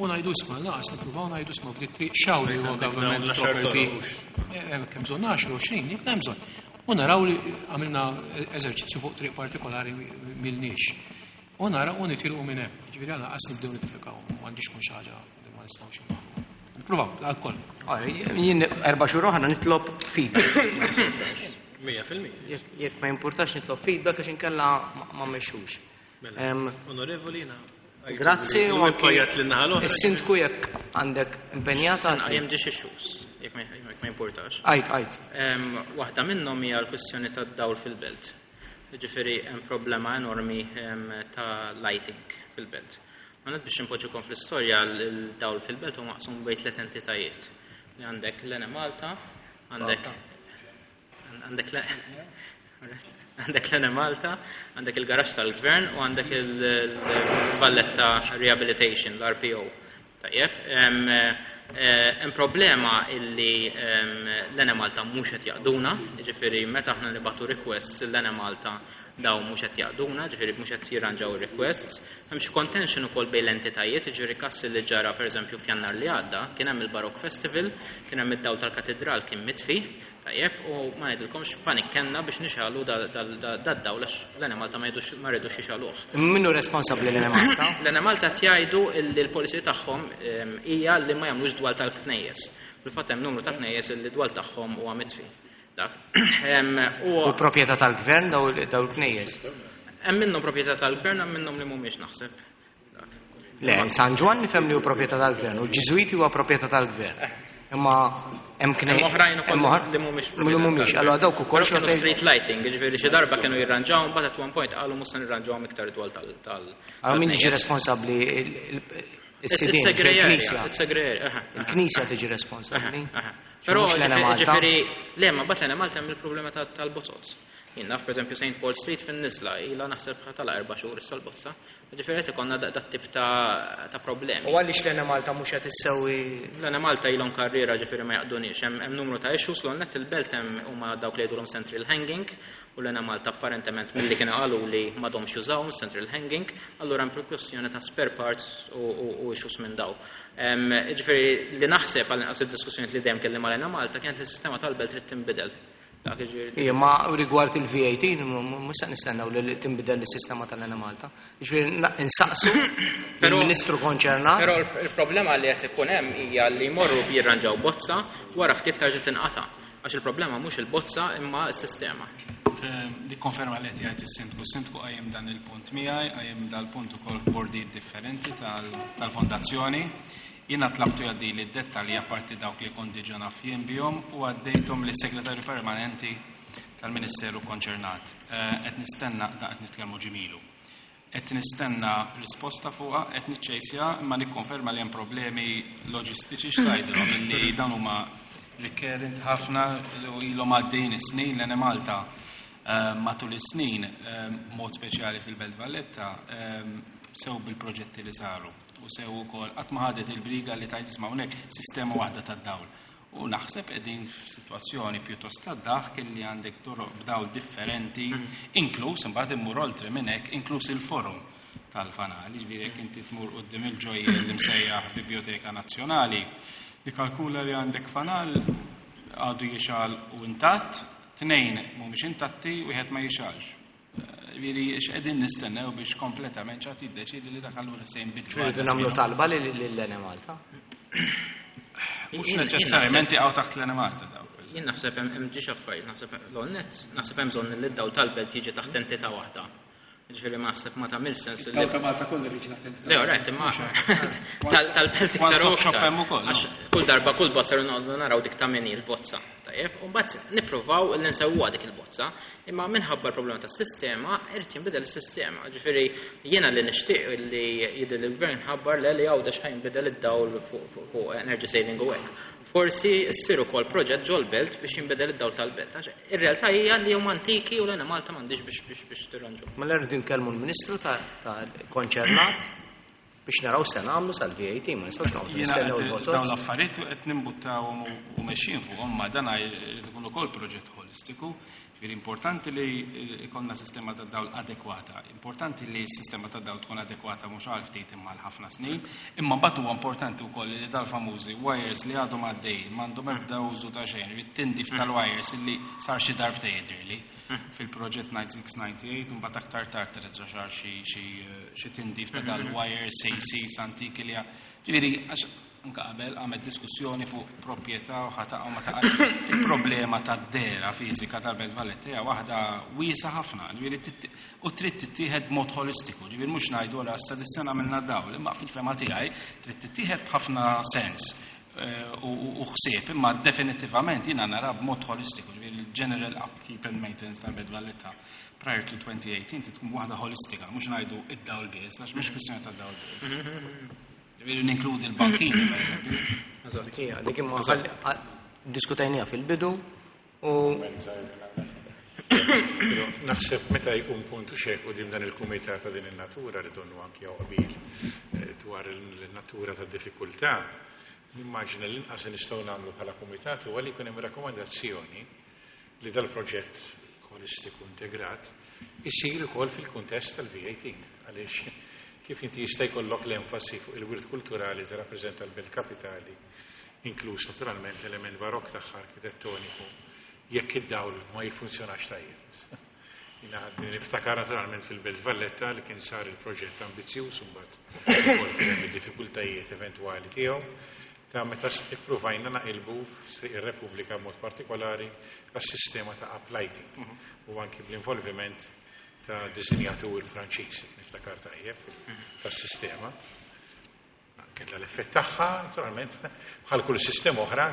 U ngħidu isma' laqas nippruvaw ngħidu isma' f'dik triq xaw li huwa government property. Eh, Kemm bżonn għaxra, għoxrin, jekk hemm bżonn. U naraw li għamilna eżerċizzju fuq triq partikolari milniex. U nara u nitilqu minn hemm. Ġifieri għala qas nibdew nidentifikaw, m'għandix tkun xi ħaġa li ma nistgħux nagħmlu. Nippruvaw, għal koll. Ora, Jien erba' xhur oħra nitlob feedback. Mija fil-mija. Jekk jekk ma jimpurtax nitlob feedback għax inkella ma- ma mmexxux. Mela, Em, Onorevoli, jiena Grazzi u anki Pajat l-naħa l-oħra. Is-sindku jekk għandek impenjata. Għajem ġiex issues, jekk ma jekk ma importax. Għajt, għajt. Em, Waħda minnhom hija l-kwestjoni tad-dawl fil-belt. Ġifieri hemm problema enormi em, ta' lighting fil-belt. Ma biex inpoġġukom fl-istorja, il-dawl fil-belt huwa maqsum bejn tliet entitajiet. Li għandek l-Enemalta, għandek għandek għandek l-Enemalta, għandek il-garaxx tal-gvern u għandek il-Valletta Rehabilitation, l-R P O. Tajjeb, hemm eh, problema illi l-Enemalta mhux qed jaqduna, jiġifieri meta aħna nibagħtu requests l-Enemalta, daw mhux qed jaqduna, ġifieri mhux qed jirranġaw requests. Hemm xi contention ukoll bejn l-entitajiet, jiġifieri każ li ġara, pereżempju, f'Jannar li għadda, kien hemm il-Baroque Festival, kien hemm id-dawl tal-katedral kien mitfi, tajjeb, u ma ngħidilkomx panik kellna biex nixegħlu dad-dawl għax l-Enemalta ma ma rridux jixegħluh. Min hu responsabbli, l-Enemalta? L-Enemalta jgħidu li l-policy tagħhom hija li ma jagħmlux dwal tal-knejjes. Fil-fatt hemm numru ta' knejjes li dwal tagħhom huwa mitfi. Dak. U proprjetà tal-gvern daw il-knejjes? Hemm minnhom proprjetà tal-gvern, hemm minnhom li mhumiex, naħseb. Le, San Ġwann nifhem li hu proprjetà tal-gvern u l-Ġiżwiti huwa proprjetà tal-gvern. Imma hemm knejjes. Hemm oħrajn ukoll li mhumiex. Li mhumiex. Allura dawk ukoll kienu street lighting, jiġifieri xi darba kienu jirranġawhom, but at one point qalu mhux se nirranġawhom iktar dwal tal tal Allura min jiġi responsabbli, is-sidien, il-Knisja? Il-Knisja tiġi responsabbli. Però ġifieri le, ma bat l-Malta hemm il-problema tal-bozoz. Jien naf, pereżempju, Saint Paul Street fin-nizla ilha naħseb tal erba' xhur issa l-bozza. Ġifieri qed ikollna dat tip ta' problemi. U għaliex l-Enemalta mhux qed issewwi? L-Enemalta ilhom karriera, ġifieri ma jaqduniex. Hemm numru ta' issues l net il-belt, hemm huma dawk li jgħidulhom central hanging u l-Enemalta apparentement milli kienu qalu li m'għadhomx jużaw central hanging, allura hemm kwestjoni ta' spare parts u issues minn daw. Ġifieri li naħseb, għal inqas id-diskussjoni li dejjem kelli mal-Enemalta, kienet li s-sistema tal-belt trid tinbidel. Ija, ma rigward il-V A T, mhux se nistennew li tinbidel is-sistema tal-Enemalta. Ġifieri insaqsu il-Ministru konċernat. Però il-problema li qed ikun hemm hija li jmorru jirranġaw bozza, wara ftit tarġa' tinqata'. Għax il-problema mhux il-bozza imma s-sistema. Nikkonferma li qed jgħid is-sindku. Sindku qajjem dan il-punt miegħi, qajjem dal-punt ukoll f'bordijiet differenti tal-fondazzjoni. Jiena tlabtu jgħaddi li d-dettalji apparti dawk li kont diġà naf jien bihom u għaddejthom lis segretarju permanenti tal-Ministeru konċernat. Qed nistenna, da qed nitkellmu ġimgħa ilu. Qed nistenna risposta fuqha, qed niċċejsja, imma nikkonferma li hemm problemi loġistiċi, x'tgħidilhom illi dan huma recurrent ħafna u ilhom għaddejn is-snin. L-Enemalta matul is-snin, mod speċjali fil-Belt Valletta, sew bil-proġetti li saru u sew ukoll qatt ma ħadet il-briga li tajt isma' hawnhekk sistema waħda tad-dawl. U naħseb qegħdin f'sitwazzjoni pjuttost tad-daħk li għandek toroq b'dawl differenti, inkluż imbagħad immur oltre minn hekk, inkluż il-forum tal-fanal. Ġifieri jekk inti tmur quddiem il-ġojjel li msejjaħ Biblioteka Nazzjonali, nikkalkula li għandek fanal għadu jixgħel u intatt, tnejn mhumiex intatti, wieħed ma jixgħelx. Ġifieri x'qegħdin nistennew biex kompletament ċat jiddeċidi li dak allura se jinbidlu? Rridu nagħmlu talba lill-Enemalta. Mhux neċessarjament jaqgħu taħt l-Enemalta daw. Jien naħseb hemm ġiex affarijiet, naħseb l-net, naħseb hemm bżonn li d-dawl tal-belt jiġi taħt entità waħda. Ġifieri ma naħseb ma tagħmel sens li. Dawl ta' Malta kollu jiġi taħt entità. Le, right, imma tal-belt iktar u iktar. Għax kull darba kull bozza noqogħdu naraw dik ta' min il-bozza. Tajjeb, u mbagħad nippruvaw li nsewwa dik il-bozza, imma minħabba l-problema tas-sistema irid jinbidel is-sistema. Ġifieri jiena li nixtieq li jidher il-gvern ħabbar le li Għawdex ħa jinbidel id-dawl fuq energy saving u hekk. Forsi ssir ukoll proġett ġol-belt biex jinbidel id-dawl tal-belt. Għax ir-realtà hija li huma antiki u l-Enemalta m'għandix biex biex biex tirranġu. Mela rridu nkellmu l-Ministru ta' konċernat biex naraw se nagħmlu sal-V A T, ma nistgħux noqogħdu nistennew il-bozzoz. Dawn l-affarijiet qed nimbuttawhom u mexjin fuqhom, ma dan jrid ikun ukoll proġett holistiku. Ġifieri importanti li ikollna sistema ta' dawl adekwata. Importanti li s-sistema ta' dawl tkun adekwata mhux għal ftit imma għal ħafna snin. Imma mbagħad huwa importanti wkoll li dal-famużi wires li għadhom għaddejjin m'għandhom ebda użu ta' xejn, irid tindif tal-wires illi sar xi darbtejn jidhirli fil-proġett disgħa u disgħin, mbagħad aktar tard terġa' sar xi tindif ta' dal-wires A Cs antiki li, ġifieri għax anka qabel għamet diskussjoni fuq proprjetà u ħa taqa' u ma taqax. Il-problema tad-dehra fiżika tal-Belt Valletta hija waħda wiesgħa ħafna, ġifieri titt- u trid tittieħed b'mod holistiku, ġifieri mhux ngħidu għala issa dis-sena għamilna dawl, imma fil-fehma tiegħi trid tittieħed b'ħafna sens eh, u u- u ħsieb, imma definitivament jiena nara b'mod holistiku, ġifieri il-general upkeep and maintenance tal-Belt Valletta prior to twenty eighteen trid tkun waħda holistika, mhux ngħidu id-dawl biss, għax mhux kwistjoni ta' dawl biss. Ġifieri ninkludi l-bankini, per eżempju. Ija, dik imma ħalli- għal- diskutajnija fil-bidu u Però naħseb meta jkun puntu xek u dan il-kumitat ta' din il-natura li donnu anki hawn qbil eh, dwar il-natura ta' diffikultà, nimmaġina l-inqas li nistgħu nagħmlu bħala kumitat huwa li jkun hemm rakkomandazzjoni li dal-proġett holistiku integrat isir ukoll fil-kuntest tal-V eighteen, għaliex kif inti jista' jkollok l-enfasi fuq il-wirt kulturali li rappreżenta l-belt kapitali, inkluż naturalment l-element barok tagħha arkitettoniku, jekk id-dawl ma jiffunzjonax tajjeb? Jiena niftakar naturalment fil-Belt Valletta li kien sar il-proġett ambizzjuż, mbagħad ukoll kien hemm id-diffikultajiet eventwali tiegħu ta' meta ippruvajna naqilbu ir-Repubblika mod partikolari għas-sistema ta' uplighting u anki bl-involviment ta' disinjatur Franċiż, niftakar tajjeb, tas-sistema. Kella l-effett tagħha, naturalment, bħal kull sistema oħra,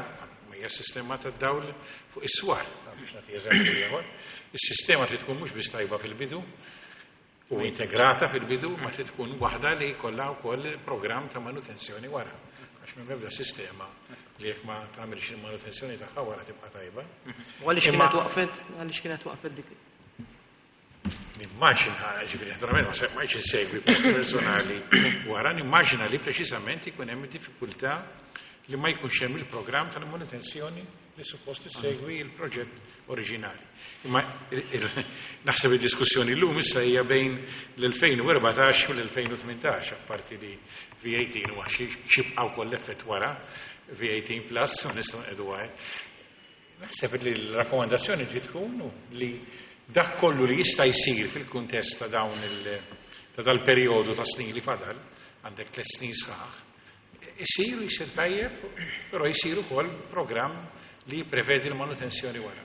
hija sistema ta' dawl fuq is-swar, biex nagħti eżempju ieħor. Is-sistema trid tkun mhux biss tajba fil-bidu u integrata fil-bidu, ma trid tkun waħda li jkollha wkoll programm ta' manutenzjoni wara. Għax minn ebda sistema li jekk ma tagħmilx il-manutenzjoni tagħha wara tibqa' tajba. U għaliex Imma- kienet waqfet, għaliex kienet waqfet dik? Nimmaġina, ġifieri, naturalment ma se ma insegwi personali wara, nimmaġina li preċisament ikun hemm diffikultà li ma jkunx hemm il-programm tal-manutenzjoni li suppost issegwi il-proġett oriġinali. Imma il- il- naħseb id-diskussjoni llum issa hija bejn l-elfejn u erbatax u l-elfejn u tmintax, apparti li V eighteen huwa xi xibqa' wkoll l-effett wara V eighteen plus u nistgħu nqedu għaj. Naħseb li l-rakkomandazzjoni trid tkun li dak kollu li jista' jsir fil-kuntest ta' dawn il ta' dal-perjodu ta' snin li fadal, għandek tliet snin sħaħ, isir jisir tajjeb, però jsir ukoll programm li jipprevedi l-manutenzjoni wara.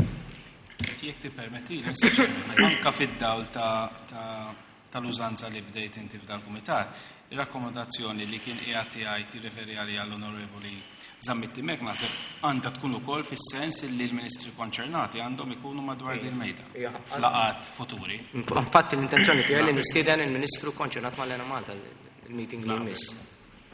Jekk tippermetti, anka fid-dawl ta' ta' tal-użanza li bdejt inti f'dal-kumitat, ir-rakkomandazzjoni li kien qiegħed jgħid jirreferi għalija l-Onorevoli Zammit Dimech naħseb għandha tkun ukoll fis-sens li l-ministri konċernati għandhom ikunu madwar din il-mejda Ija. f'laqgħat futuri. Infatti l-intenzjoni tiegħi li nistieden il-Ministru konċernat mal-Enemalta il-meeting li jmiss.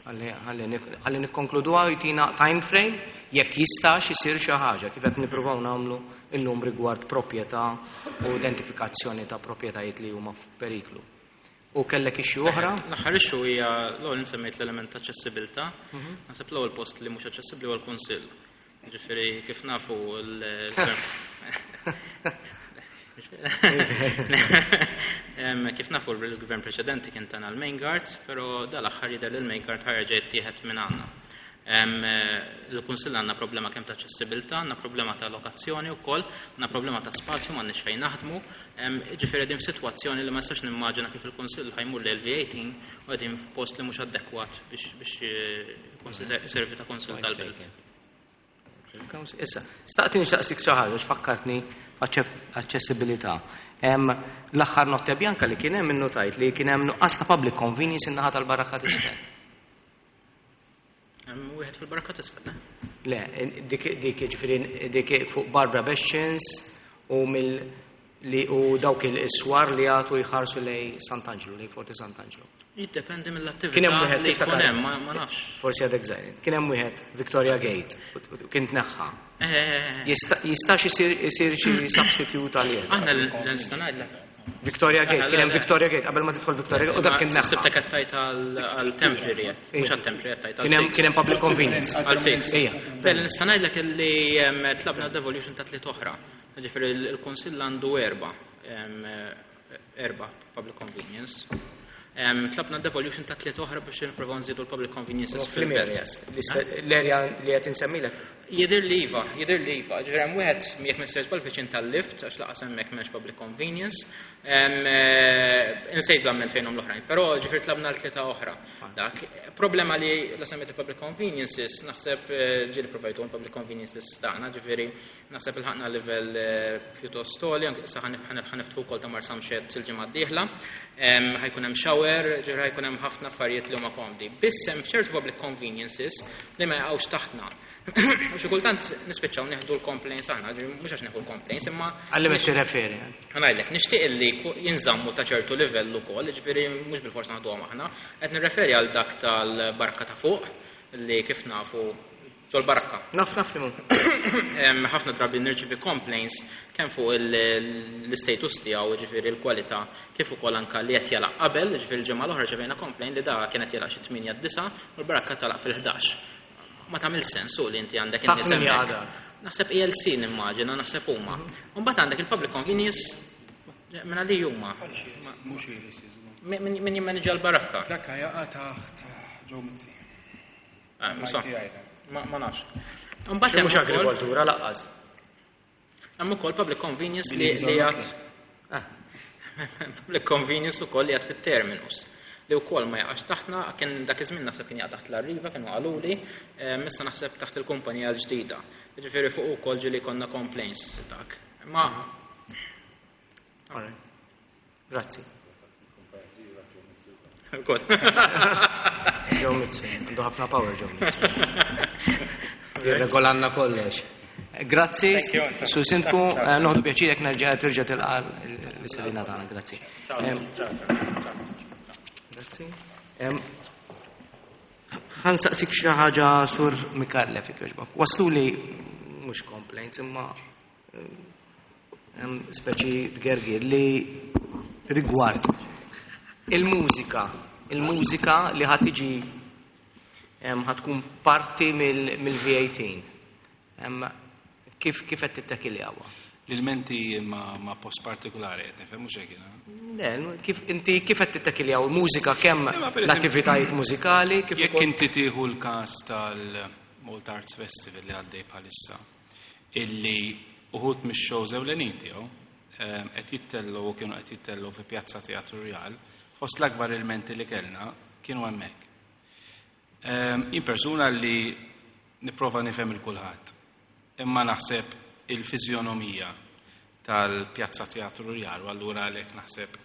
Ħalli ħalli nik- ħalli nikkonkluduha u jtina time frame jekk jistax isir xi ħaġa kif qed nippruvaw nagħmlu illum rigward proprjetà u identifikazzjoni ta' proprjetajiet li huma f'periklu. U kellek issue oħra? L-aħħar issue hija l-ewwel semmejt l-element ta' aċċessibilità. Naħseb l-ewwel post li mhux aċċessibbli huwa l-Kunsill. Ġifieri kif nafu l-gvern Em, Kif nafu l-gvern preċedenti kien tana l-main guards, però dal-aħħar jidher li l-main guard ħa jerġa' jittieħed minn għandna. Em, eh, Il-Kunsill għandna problema kemm ta' aċċessibilità, għandna problema ta' lokazzjoni wkoll, għandna problema ta' spazju, m'għandniex fejn naħdmu. Em, Ġifieri din f'sitwazzjoni li ma nistax nimmaġina kif il-Kunsill ħa jmur l-V eighteen u qegħdin f'post li mhux adekwat biex biex eh, il-Kunsill iservi ta' Kunsill tal-Belt. Issa, staqti nixtaqsik xi ħaġa x'fakkartni aċċessibilità. Hemm l-aħħar notte bianca li kien hemm innotajt li kien hemm nuqqas ta' public convenience in-naħa tal-Barrakka t'Isfel. Hemm wieħed fil-Barrakka t'Isfel, eh? Le, dik dik ġifieri dik fuq Barbara Bexxins u mill li u dawk il-swar li għatu jħarsu lej Sant'Angelo, lej Forti Sant'Angelo. Jiddependi Kien hemm mill-attività wieħed li jkun tiftakar? hemm, ma ma nafx. Forsi għadek żgħir. Kien hemm wieħed Victoria Gate u- u kien tneħħa. Eh, Jista' jistax isir isir xi substitute għalih? Aħna l-nista' ngħidlek. Victoria Gate, kien hemm Le, le. Victoria Gate qabel ma tidħol Victoria Gate u dak kien neħħa. Sibtek qed tgħid għal temporary qed, mhux għal temporary qed tgħid. Kien hemm kien hemm public convenience. Għal fix. Ejja. Bell, nista' ngħidlek li em, tlabna devolution ta' tliet oħra. Ġifieri il-Kunsill għandu erba' em, erba' public convenience. Tlabna devolution ta' tliet oħra biex nipprovaw nżidu l-public conveniences fil-belt. L-area li qed insemmilek. Jidher li iva, jidher li iva. Ġifieri hemm wieħed jekk m'insejt viċin tal-lift għax lanqas hemmhekk m'hemmx public convenience. Insejt l-amment fejnhom l-oħrajn, però ġifieri tlabna l-tlieta oħra. Dak problema li la semmejt public conveniences, naħseb ġieli provajtu public conveniences tagħna, ġifieri naħseb ilħaqna livell pjuttost għoli, anke issa ħa niftħu wkoll ta' Marsamxett il-ġimgħa d-dieħla. Ħa jkun hemm shower, ġifieri ħa jkun hemm ħafna affarijiet li huma komdi. Biss hemm ċertu public conveniences li ma jaqgħux taħtna. U xi kultant nispiċċaw nieħdu l-complaints aħna, mhux għax nieħdu l-complaints, imma Għalli me tirreferi. Ħa ngħidlek, nixtieq li jinżammu ta' ċertu livell ukoll, ġifieri mhux bil-fors naħduhom aħna, qed nirreferi għal dak tal-barka ta' fuq li kif nafu ġol-barka. Naf naf li mu. Ħafna drabi nirċivi complaints kemm fuq l-status tiegħu, ġifieri l-kwalità, kif ukoll anka li qed jalaq qabel, ġifieri l-ġimgħa l-oħra rċevejna complaint li da kienet jalaq xi tmienja disa' u l-barka talaq fil-ħdax. Ma tagħmel sens u li inti għandek in-nies hemmhekk. Naħseb E L C nimmaġina, naħseb huma. Mbagħad għandek il-public convenience minna li huma. Mhux E L C. Min jimmanġa l-barakka? Dakka jaqa' taħt Joe Mizzi. Ma nafx. Mbagħad mhux agrikoltura lanqas. Hemm ukoll public convenience li li għad public convenience ukoll li għad fit-terminus li wkoll ma jaqax taħtna, kien dak iż-żmien naħseb kien jaqa' taħt l-Arriva, kienu qaluli, issa naħseb taħt il-kumpanija l-ġdida. Ġifieri fuq ukoll ġieli konna complaints dak. Ma Grazzi. Ukoll. Joe Mizzi, għandu ħafna power Joe Mizzi. Jirregolanna kollox. Grazzi, Sur Sindku, nieħdu pjaċir jekk nerġa' terġa' tilqa' l-istedina tagħna, grazzi. Grazzi. Ħa nsaqsik xi ħaġa, Sur Micallef, jogħġbok. Waslu li mhux complaints imma speċi tgergir li rigward il-mużika, il-mużika li ħa tiġi ħa tkun parti mill-V eighteen. Kif kif qed tittakiljawa? L-ilmenti ma, ma post partikolari qed nifhem, mhux hekk jiena. Le, kif inti kif qed tittakiljaw il-mużika kemm Imma per eżempju- l-attivitajiet mużikali kif Jekk ukoll inti tieħu l-każ tal-Malta Arts Festival li għaddej bħalissa, illi uħud mix-shows ewlenin tiegħu ehm, qed jittellu u kienu qed jittellu fi Pjazza Teatru Rjal, fost l-akbar ilmenti li kellna kienu hemmhekk. Ehm, Jien persuna li nipprova nifhem il kulħadd. Imma naħseb il-fiżjonomija tal-Pjazza Teatru Rjal, u allura għalhekk naħseb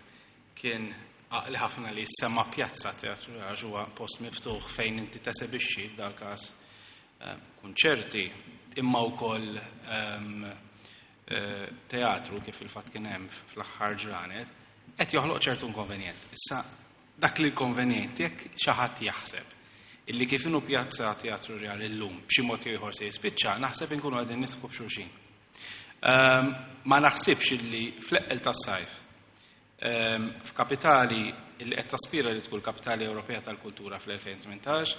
kien għaqli ħafna li semma Pjazza Teatru Rjal għax huwa post miftuħ fejn inti tesebixxi f'dal każ eh, kunċerti imma wkoll ehm, eh, teatru kif il-fatt kien hemm fl-aħħar ġranet qed joħloq ċertu inkonvenjent. Issa dak li l-konvenjent jekk xi ħadd jaħseb illi kif inhu Pjazza Teatru Rjal illum b'xi mod jew ieħor se jispiċċa, naħseb inkunu qegħdin nidħku b'xulxin. Ehm, ma naħsibx illi fl-eqqel tas-sajf ehm, f'kapitali illi qed taspira li tkun kapitali Ewropea tal-Kultura fl-elfejn u tmintax,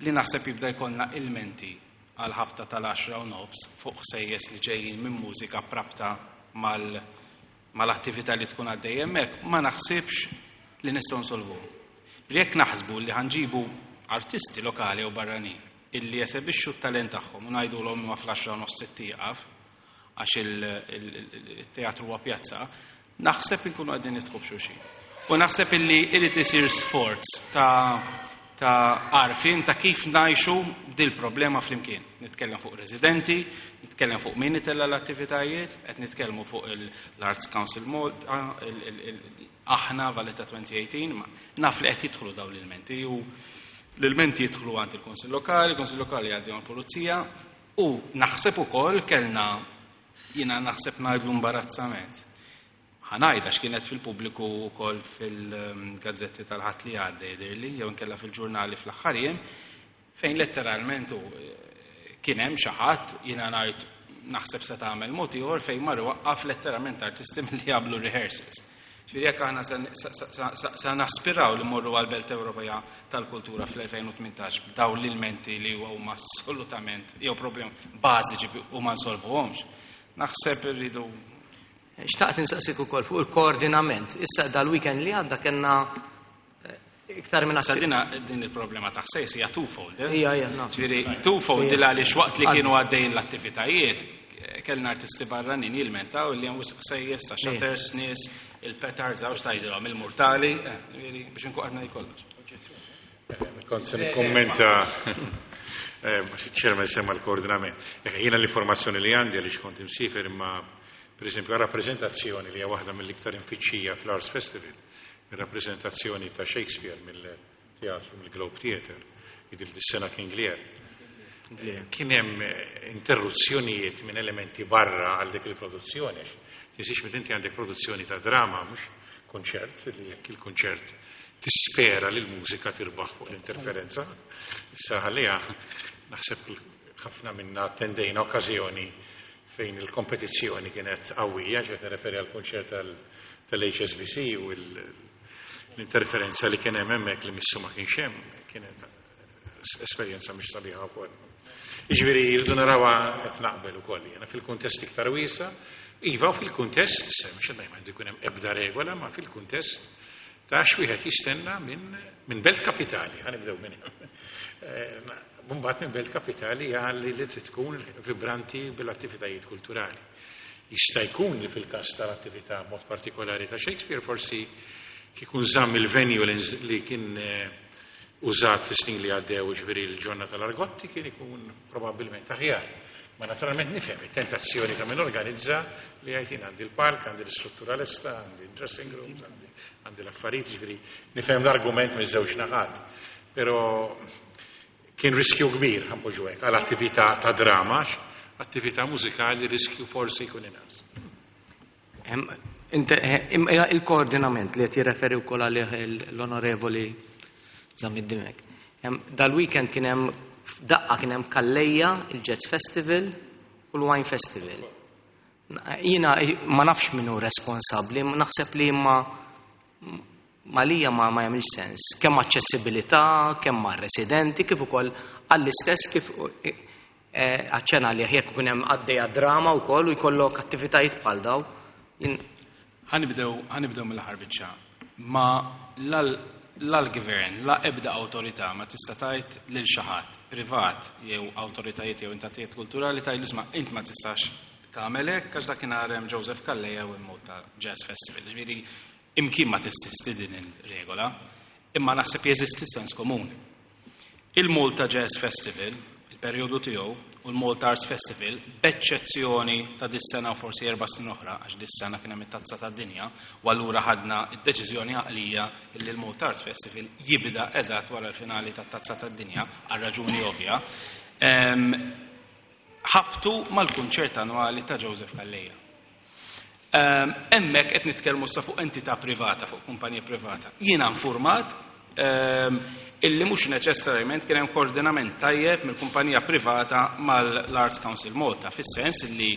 li naħseb jibda jkollna ilmenti għal ħabta tal-għaxra u nofs fuq ħsejjes li ġejjin minn mużika prabta mal mal-attività li tkun għaddej hemmhekk, ma naħsibx li nistgħu nsolvu. Jekk naħsbu li ħa nġibu artisti lokali u barranin illi jesebixxu t-talent tagħhom u ngħidulhom ma fl-għaxra u nofs tieqaf għax il-teatru huwa pjazza, naħseb inkunu qegħdin nidħku b'xulxin. U naħseb illi irid isir sforz ta' ta' għarfien ta' kif ngħixu dil problema flimkien. Nitkellem fuq residenti, nitkellem fuq min itella l-attivitajiet, qed nitkellmu fuq l-Arts Council Malta, aħna Valletta elfejn u tmintax, ma naf li qed jidħlu dawn l-ilmenti u l-ilmenti jidħlu għand il-Kunsill Lokali, il-Kunsill Lokali jgħaddi għall-Pulizija u naħseb ukoll kellna, jiena naħseb ngħidlu imbarazzament. Ħa ngħidha x'kienet fil-pubbliku wkoll fil-gazzetti tal-Ħadd li għadda jidhirli, jew inkella fil-ġurnali fl-aħħar jiem, fejn letteralment u kien hemm xi ħadd, jiena ngħid naħseb se tagħmel mod ieħor, fejn mar waqqaf letteralment artisti milli jagħmlu rehearsals. Ġifieri jekk aħna se naspiraw li mmorru għal-Belt Ewropea tal-Kultura fl-elfejn u tmintax b'dawn l-ilmenti li huma assolutament jew problem bażiċi u ma nsolvuhomx, naħseb irridu Xtaqt insaqsik ukoll fuq il-koordinament. Issa dal-weekend li għadda kellna Iktar minn Sa dina din il-problema ta' ħsejjes hija twofold. eh? Ija, ija, naf. Ġifieri twofold Ija. il għaliex waqt li Għad- kienu għaddejjin l-attivitajiet, kellna artisti barranin jilmentaw li hemm wisq ħsejjes ta' shutters, nies, il-petards, għax tgħidilhom il-murtali, eh, ġifieri biex inkun qed ngħid kollox. Kont se nikkommenta eh, ċerma semma l-koordinament. Eh, Jiena l-informazzjoni li għandi għaliex kont imsiefer imma per esempio għal rappreżentazzjoni li hija waħda mill-iktar imfittxija fl-Arts Festival, il-rappreżentazzjoni ta' Shakespeare mill-teatru mill-Globe Theatre, id sena King Lear. Eh, Kien hemm eh, interruzzjonijiet minn elementi barra għal dik il-produzzjoni. Tinsiex meta inti għandek produzzjoni ta' drama, mhux konċert, li jekk il-konċert tispera li l-mużika tirbaħ fuq l-interferenza. Issa ħalliha naħseb ħafna minna attendejna okkażjoni fejn il-kompetizzjoni kienet qawwija, ġiet nirreferi għal konċert tal-H S B C u l- l-interferenza li kien hemm hemmhekk li missu ma kienx hemm, kienet esperjenza mhix sabiħa wkoll. Jiġifieri jridu narawha qed naqbel ukoll jiena fil-kuntest iktar wiesa', iva u fil-kuntest, se mhux qed ngħid jkun hemm ebda regola, ma fil-kuntest ta' x'wieħed jistenna minn min belt kapitali, ħa nibdew minn hemm. Eh, Mbagħad minn belt kapitali għalli li trid tkun vibranti bil-attivitajiet kulturali. Jista' jkun li fil-każ tal-attività mod partikolari ta' Shakespeare forsi kikun żamm il-venue li nz- li kien eh, użat fi snin li għaddew ġifieri l-ġonna tal-Argotti kien ikun probabbilment aħjar. Ma naturalment nifhem it-tentazzjoni ta' min organizza li għajtin għandi l-palk, għandi l-istruttura lesta, għandi l-dressing rooms, għandi, għandi l-affarijiet, ġifieri nifhem l-argument miż-żewġ naħat. Però kien riskju kbir, ħa npoġġu hekk, għal attività ta' drama, għax attività mużikali riskju forsi jkun inqas. Em, inte- eh, im- eh, Il-koordinament li qed jirreferi wkoll għalih l-onorevoli Zammit Dimech. Em, Dal-weekend kien hemm daqqa kien hemm Calleja, il-Jazz Festival u l-Wine Festival. Jiena ma nafx min hu responsabbli, naħseb li ma malija ma ma jagħmilx sens. Kemm aċċessibilità, kemm għar-residenti, kif ukoll għall-istess kif eh, aċċena li jekk ikun hemm għaddejja drama wkoll u jkollok attivitajiet bħal daw. Jien Ħa nibdew ħa nibdew mill-aħħar biċċa. Ma l-gvern, la ebda awtorità ma tista' tgħid lil xi ħadd privat jew awtoritajiet jew entitajiet kulturali tgħid isma' int ma tistax tagħmel hekk għax dakinhar hemm Joseph Calleja u Malta Jazz Festival. Ġifieri imkien ma teżisti din il-regola, imma naħseb jeżisti sens komuni. Il-Malta Jazz Festival, il-perjodu tiegħu, u l-Malta Arts Festival, b'eċċezzjoni ta' dis-sena u forsi erba' snin oħra, għax dis-sena kien hemm it-tazza tad-dinja, u allura ħadna d-deċiżjoni għaqlija li l-Malta Arts Festival jibda eżatt wara l-finali tat-tazza tad-dinja, għal raġuni ovvja. Em, ħabtu mal-kunċert annwali ta' Joseph Calleja. Ehm, Hemmhekk qed nitkellmu sa fuq entità privata, fuq kumpanija privata. Jiena informat ehm, illi mhux neċessarjament kien hemm koordinament tajjeb mill-kumpanija privata mal-Arts Council Malta, fis-sens illi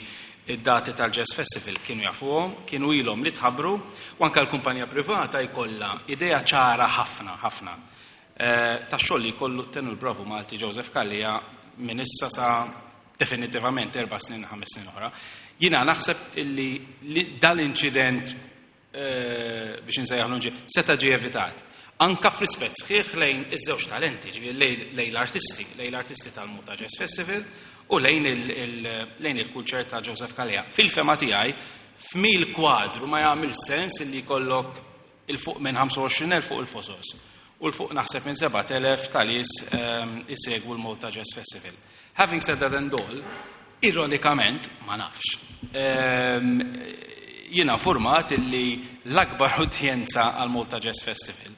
id-dati tal-Jazz Festival kienu jafuhom, kienu ilhom li tħabbru, u anke l-kumpanija privata jkollha idea ċara ħafna, ħafna eh, ta' xogħol li jkollu t-tenur bravu Malti Joseph Calleja minn issa sa definitivament erba' snin, ħames snin oħra. Jiena naħseb illi li dal-inċident eh, biex nsejjaħlu inċident, seta' ġie evitat. Anka f'rispett sħiħ lejn iż-żewġ talenti, ġifieri lejn lejn l-artisti, lejn l-artisti tal-Malta Jazz Festival u lejn il- il- lejn il-kunċert ta' Joseph Calleja. Fil-fehma tiegħi, f'mil kwadru ma jagħmel sens illi jkollok il-fuq minn ħamsa u għoxrin elf fuq il-fosos u l-fuq naħseb minn sebat elef tal-nies um, isegwu l-Malta Jazz Festival. Having said that and all, ironikament, ma nafx, um, jiena informat illi l-akbar udjenza għal Malta Jazz Festival,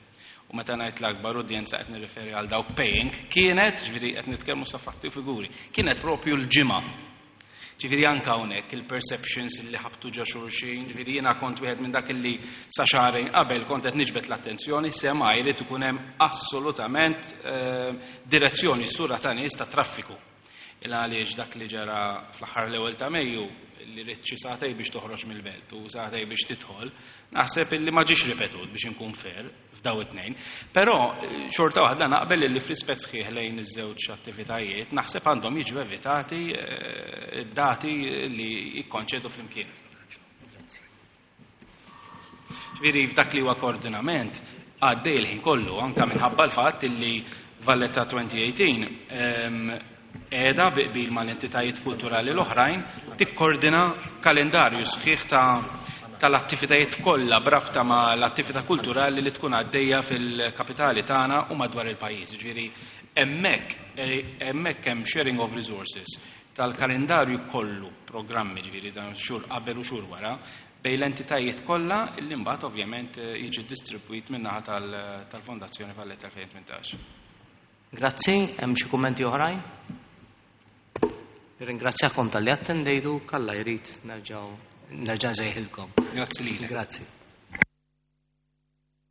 u meta ngħid l-akbar udjenza qed nirreferi għal dawk paying, kienet, ġifieri qed nitkellmu sa fatti u figuri, kienet propju l-ġimgħa. Ġifieri anka hawnhekk il-perceptions li ħabtu ġo xulxin, ġifieri jiena kont wieħed minn dak li sa xahrejn qabel kont qed niġbed l-attenzjoni sema jrid ikun hemm assolutament eh, direzzjoni sura ta' nies ta' traffiku. Il għaliex dak li ġara fl-aħħar l-ewwel ta' Mejju li rrid xi sagħtejn biex toħroġ mill-belt u sagħtejn biex tidħol, naħseb illi ma ġiex ripetut biex inkun fair f'daw it-tnejn. Però eh, xorta waħda naqbel illi fl-rispett sħiħ lejn iż-żewġ attivitajiet naħseb għandhom jiġu evitati eh, dati li jikkonċedu flimkien. Ġifieri f'dak li huwa koordinament, għaddej il-ħin kollu, anka minħabba l-fatt illi Valletta twenty eighteen ehm, qiegħda bi qbil mal-entitajiet kulturali l-oħrajn tikkordina kalendarju sħiħ ta' tal-attivitajiet kollha b'rabta ma' l-attività kulturali li tkun għaddejja fil-kapitali tagħna u madwar il-pajjiż. Ġifieri hemmhekk eh, hemmhekk hemm sharing of resources tal-kalendarju kollu, programmi, ġifieri dan xhur qabel u xhur wara, bejn l-entitajiet kollha illi mbagħad ovvjament eh, jiġi distribwit min-naħa tal-Fondazzjoni Valletta elfejn u tmintax. Grazzi, hemm xi kummenti oħrajn? Nirringrazzjakom talli attendejtu, jekk Alla jrid nerġgħu nerġa' nsejħilkom. Grazzi lilek. Grazzi.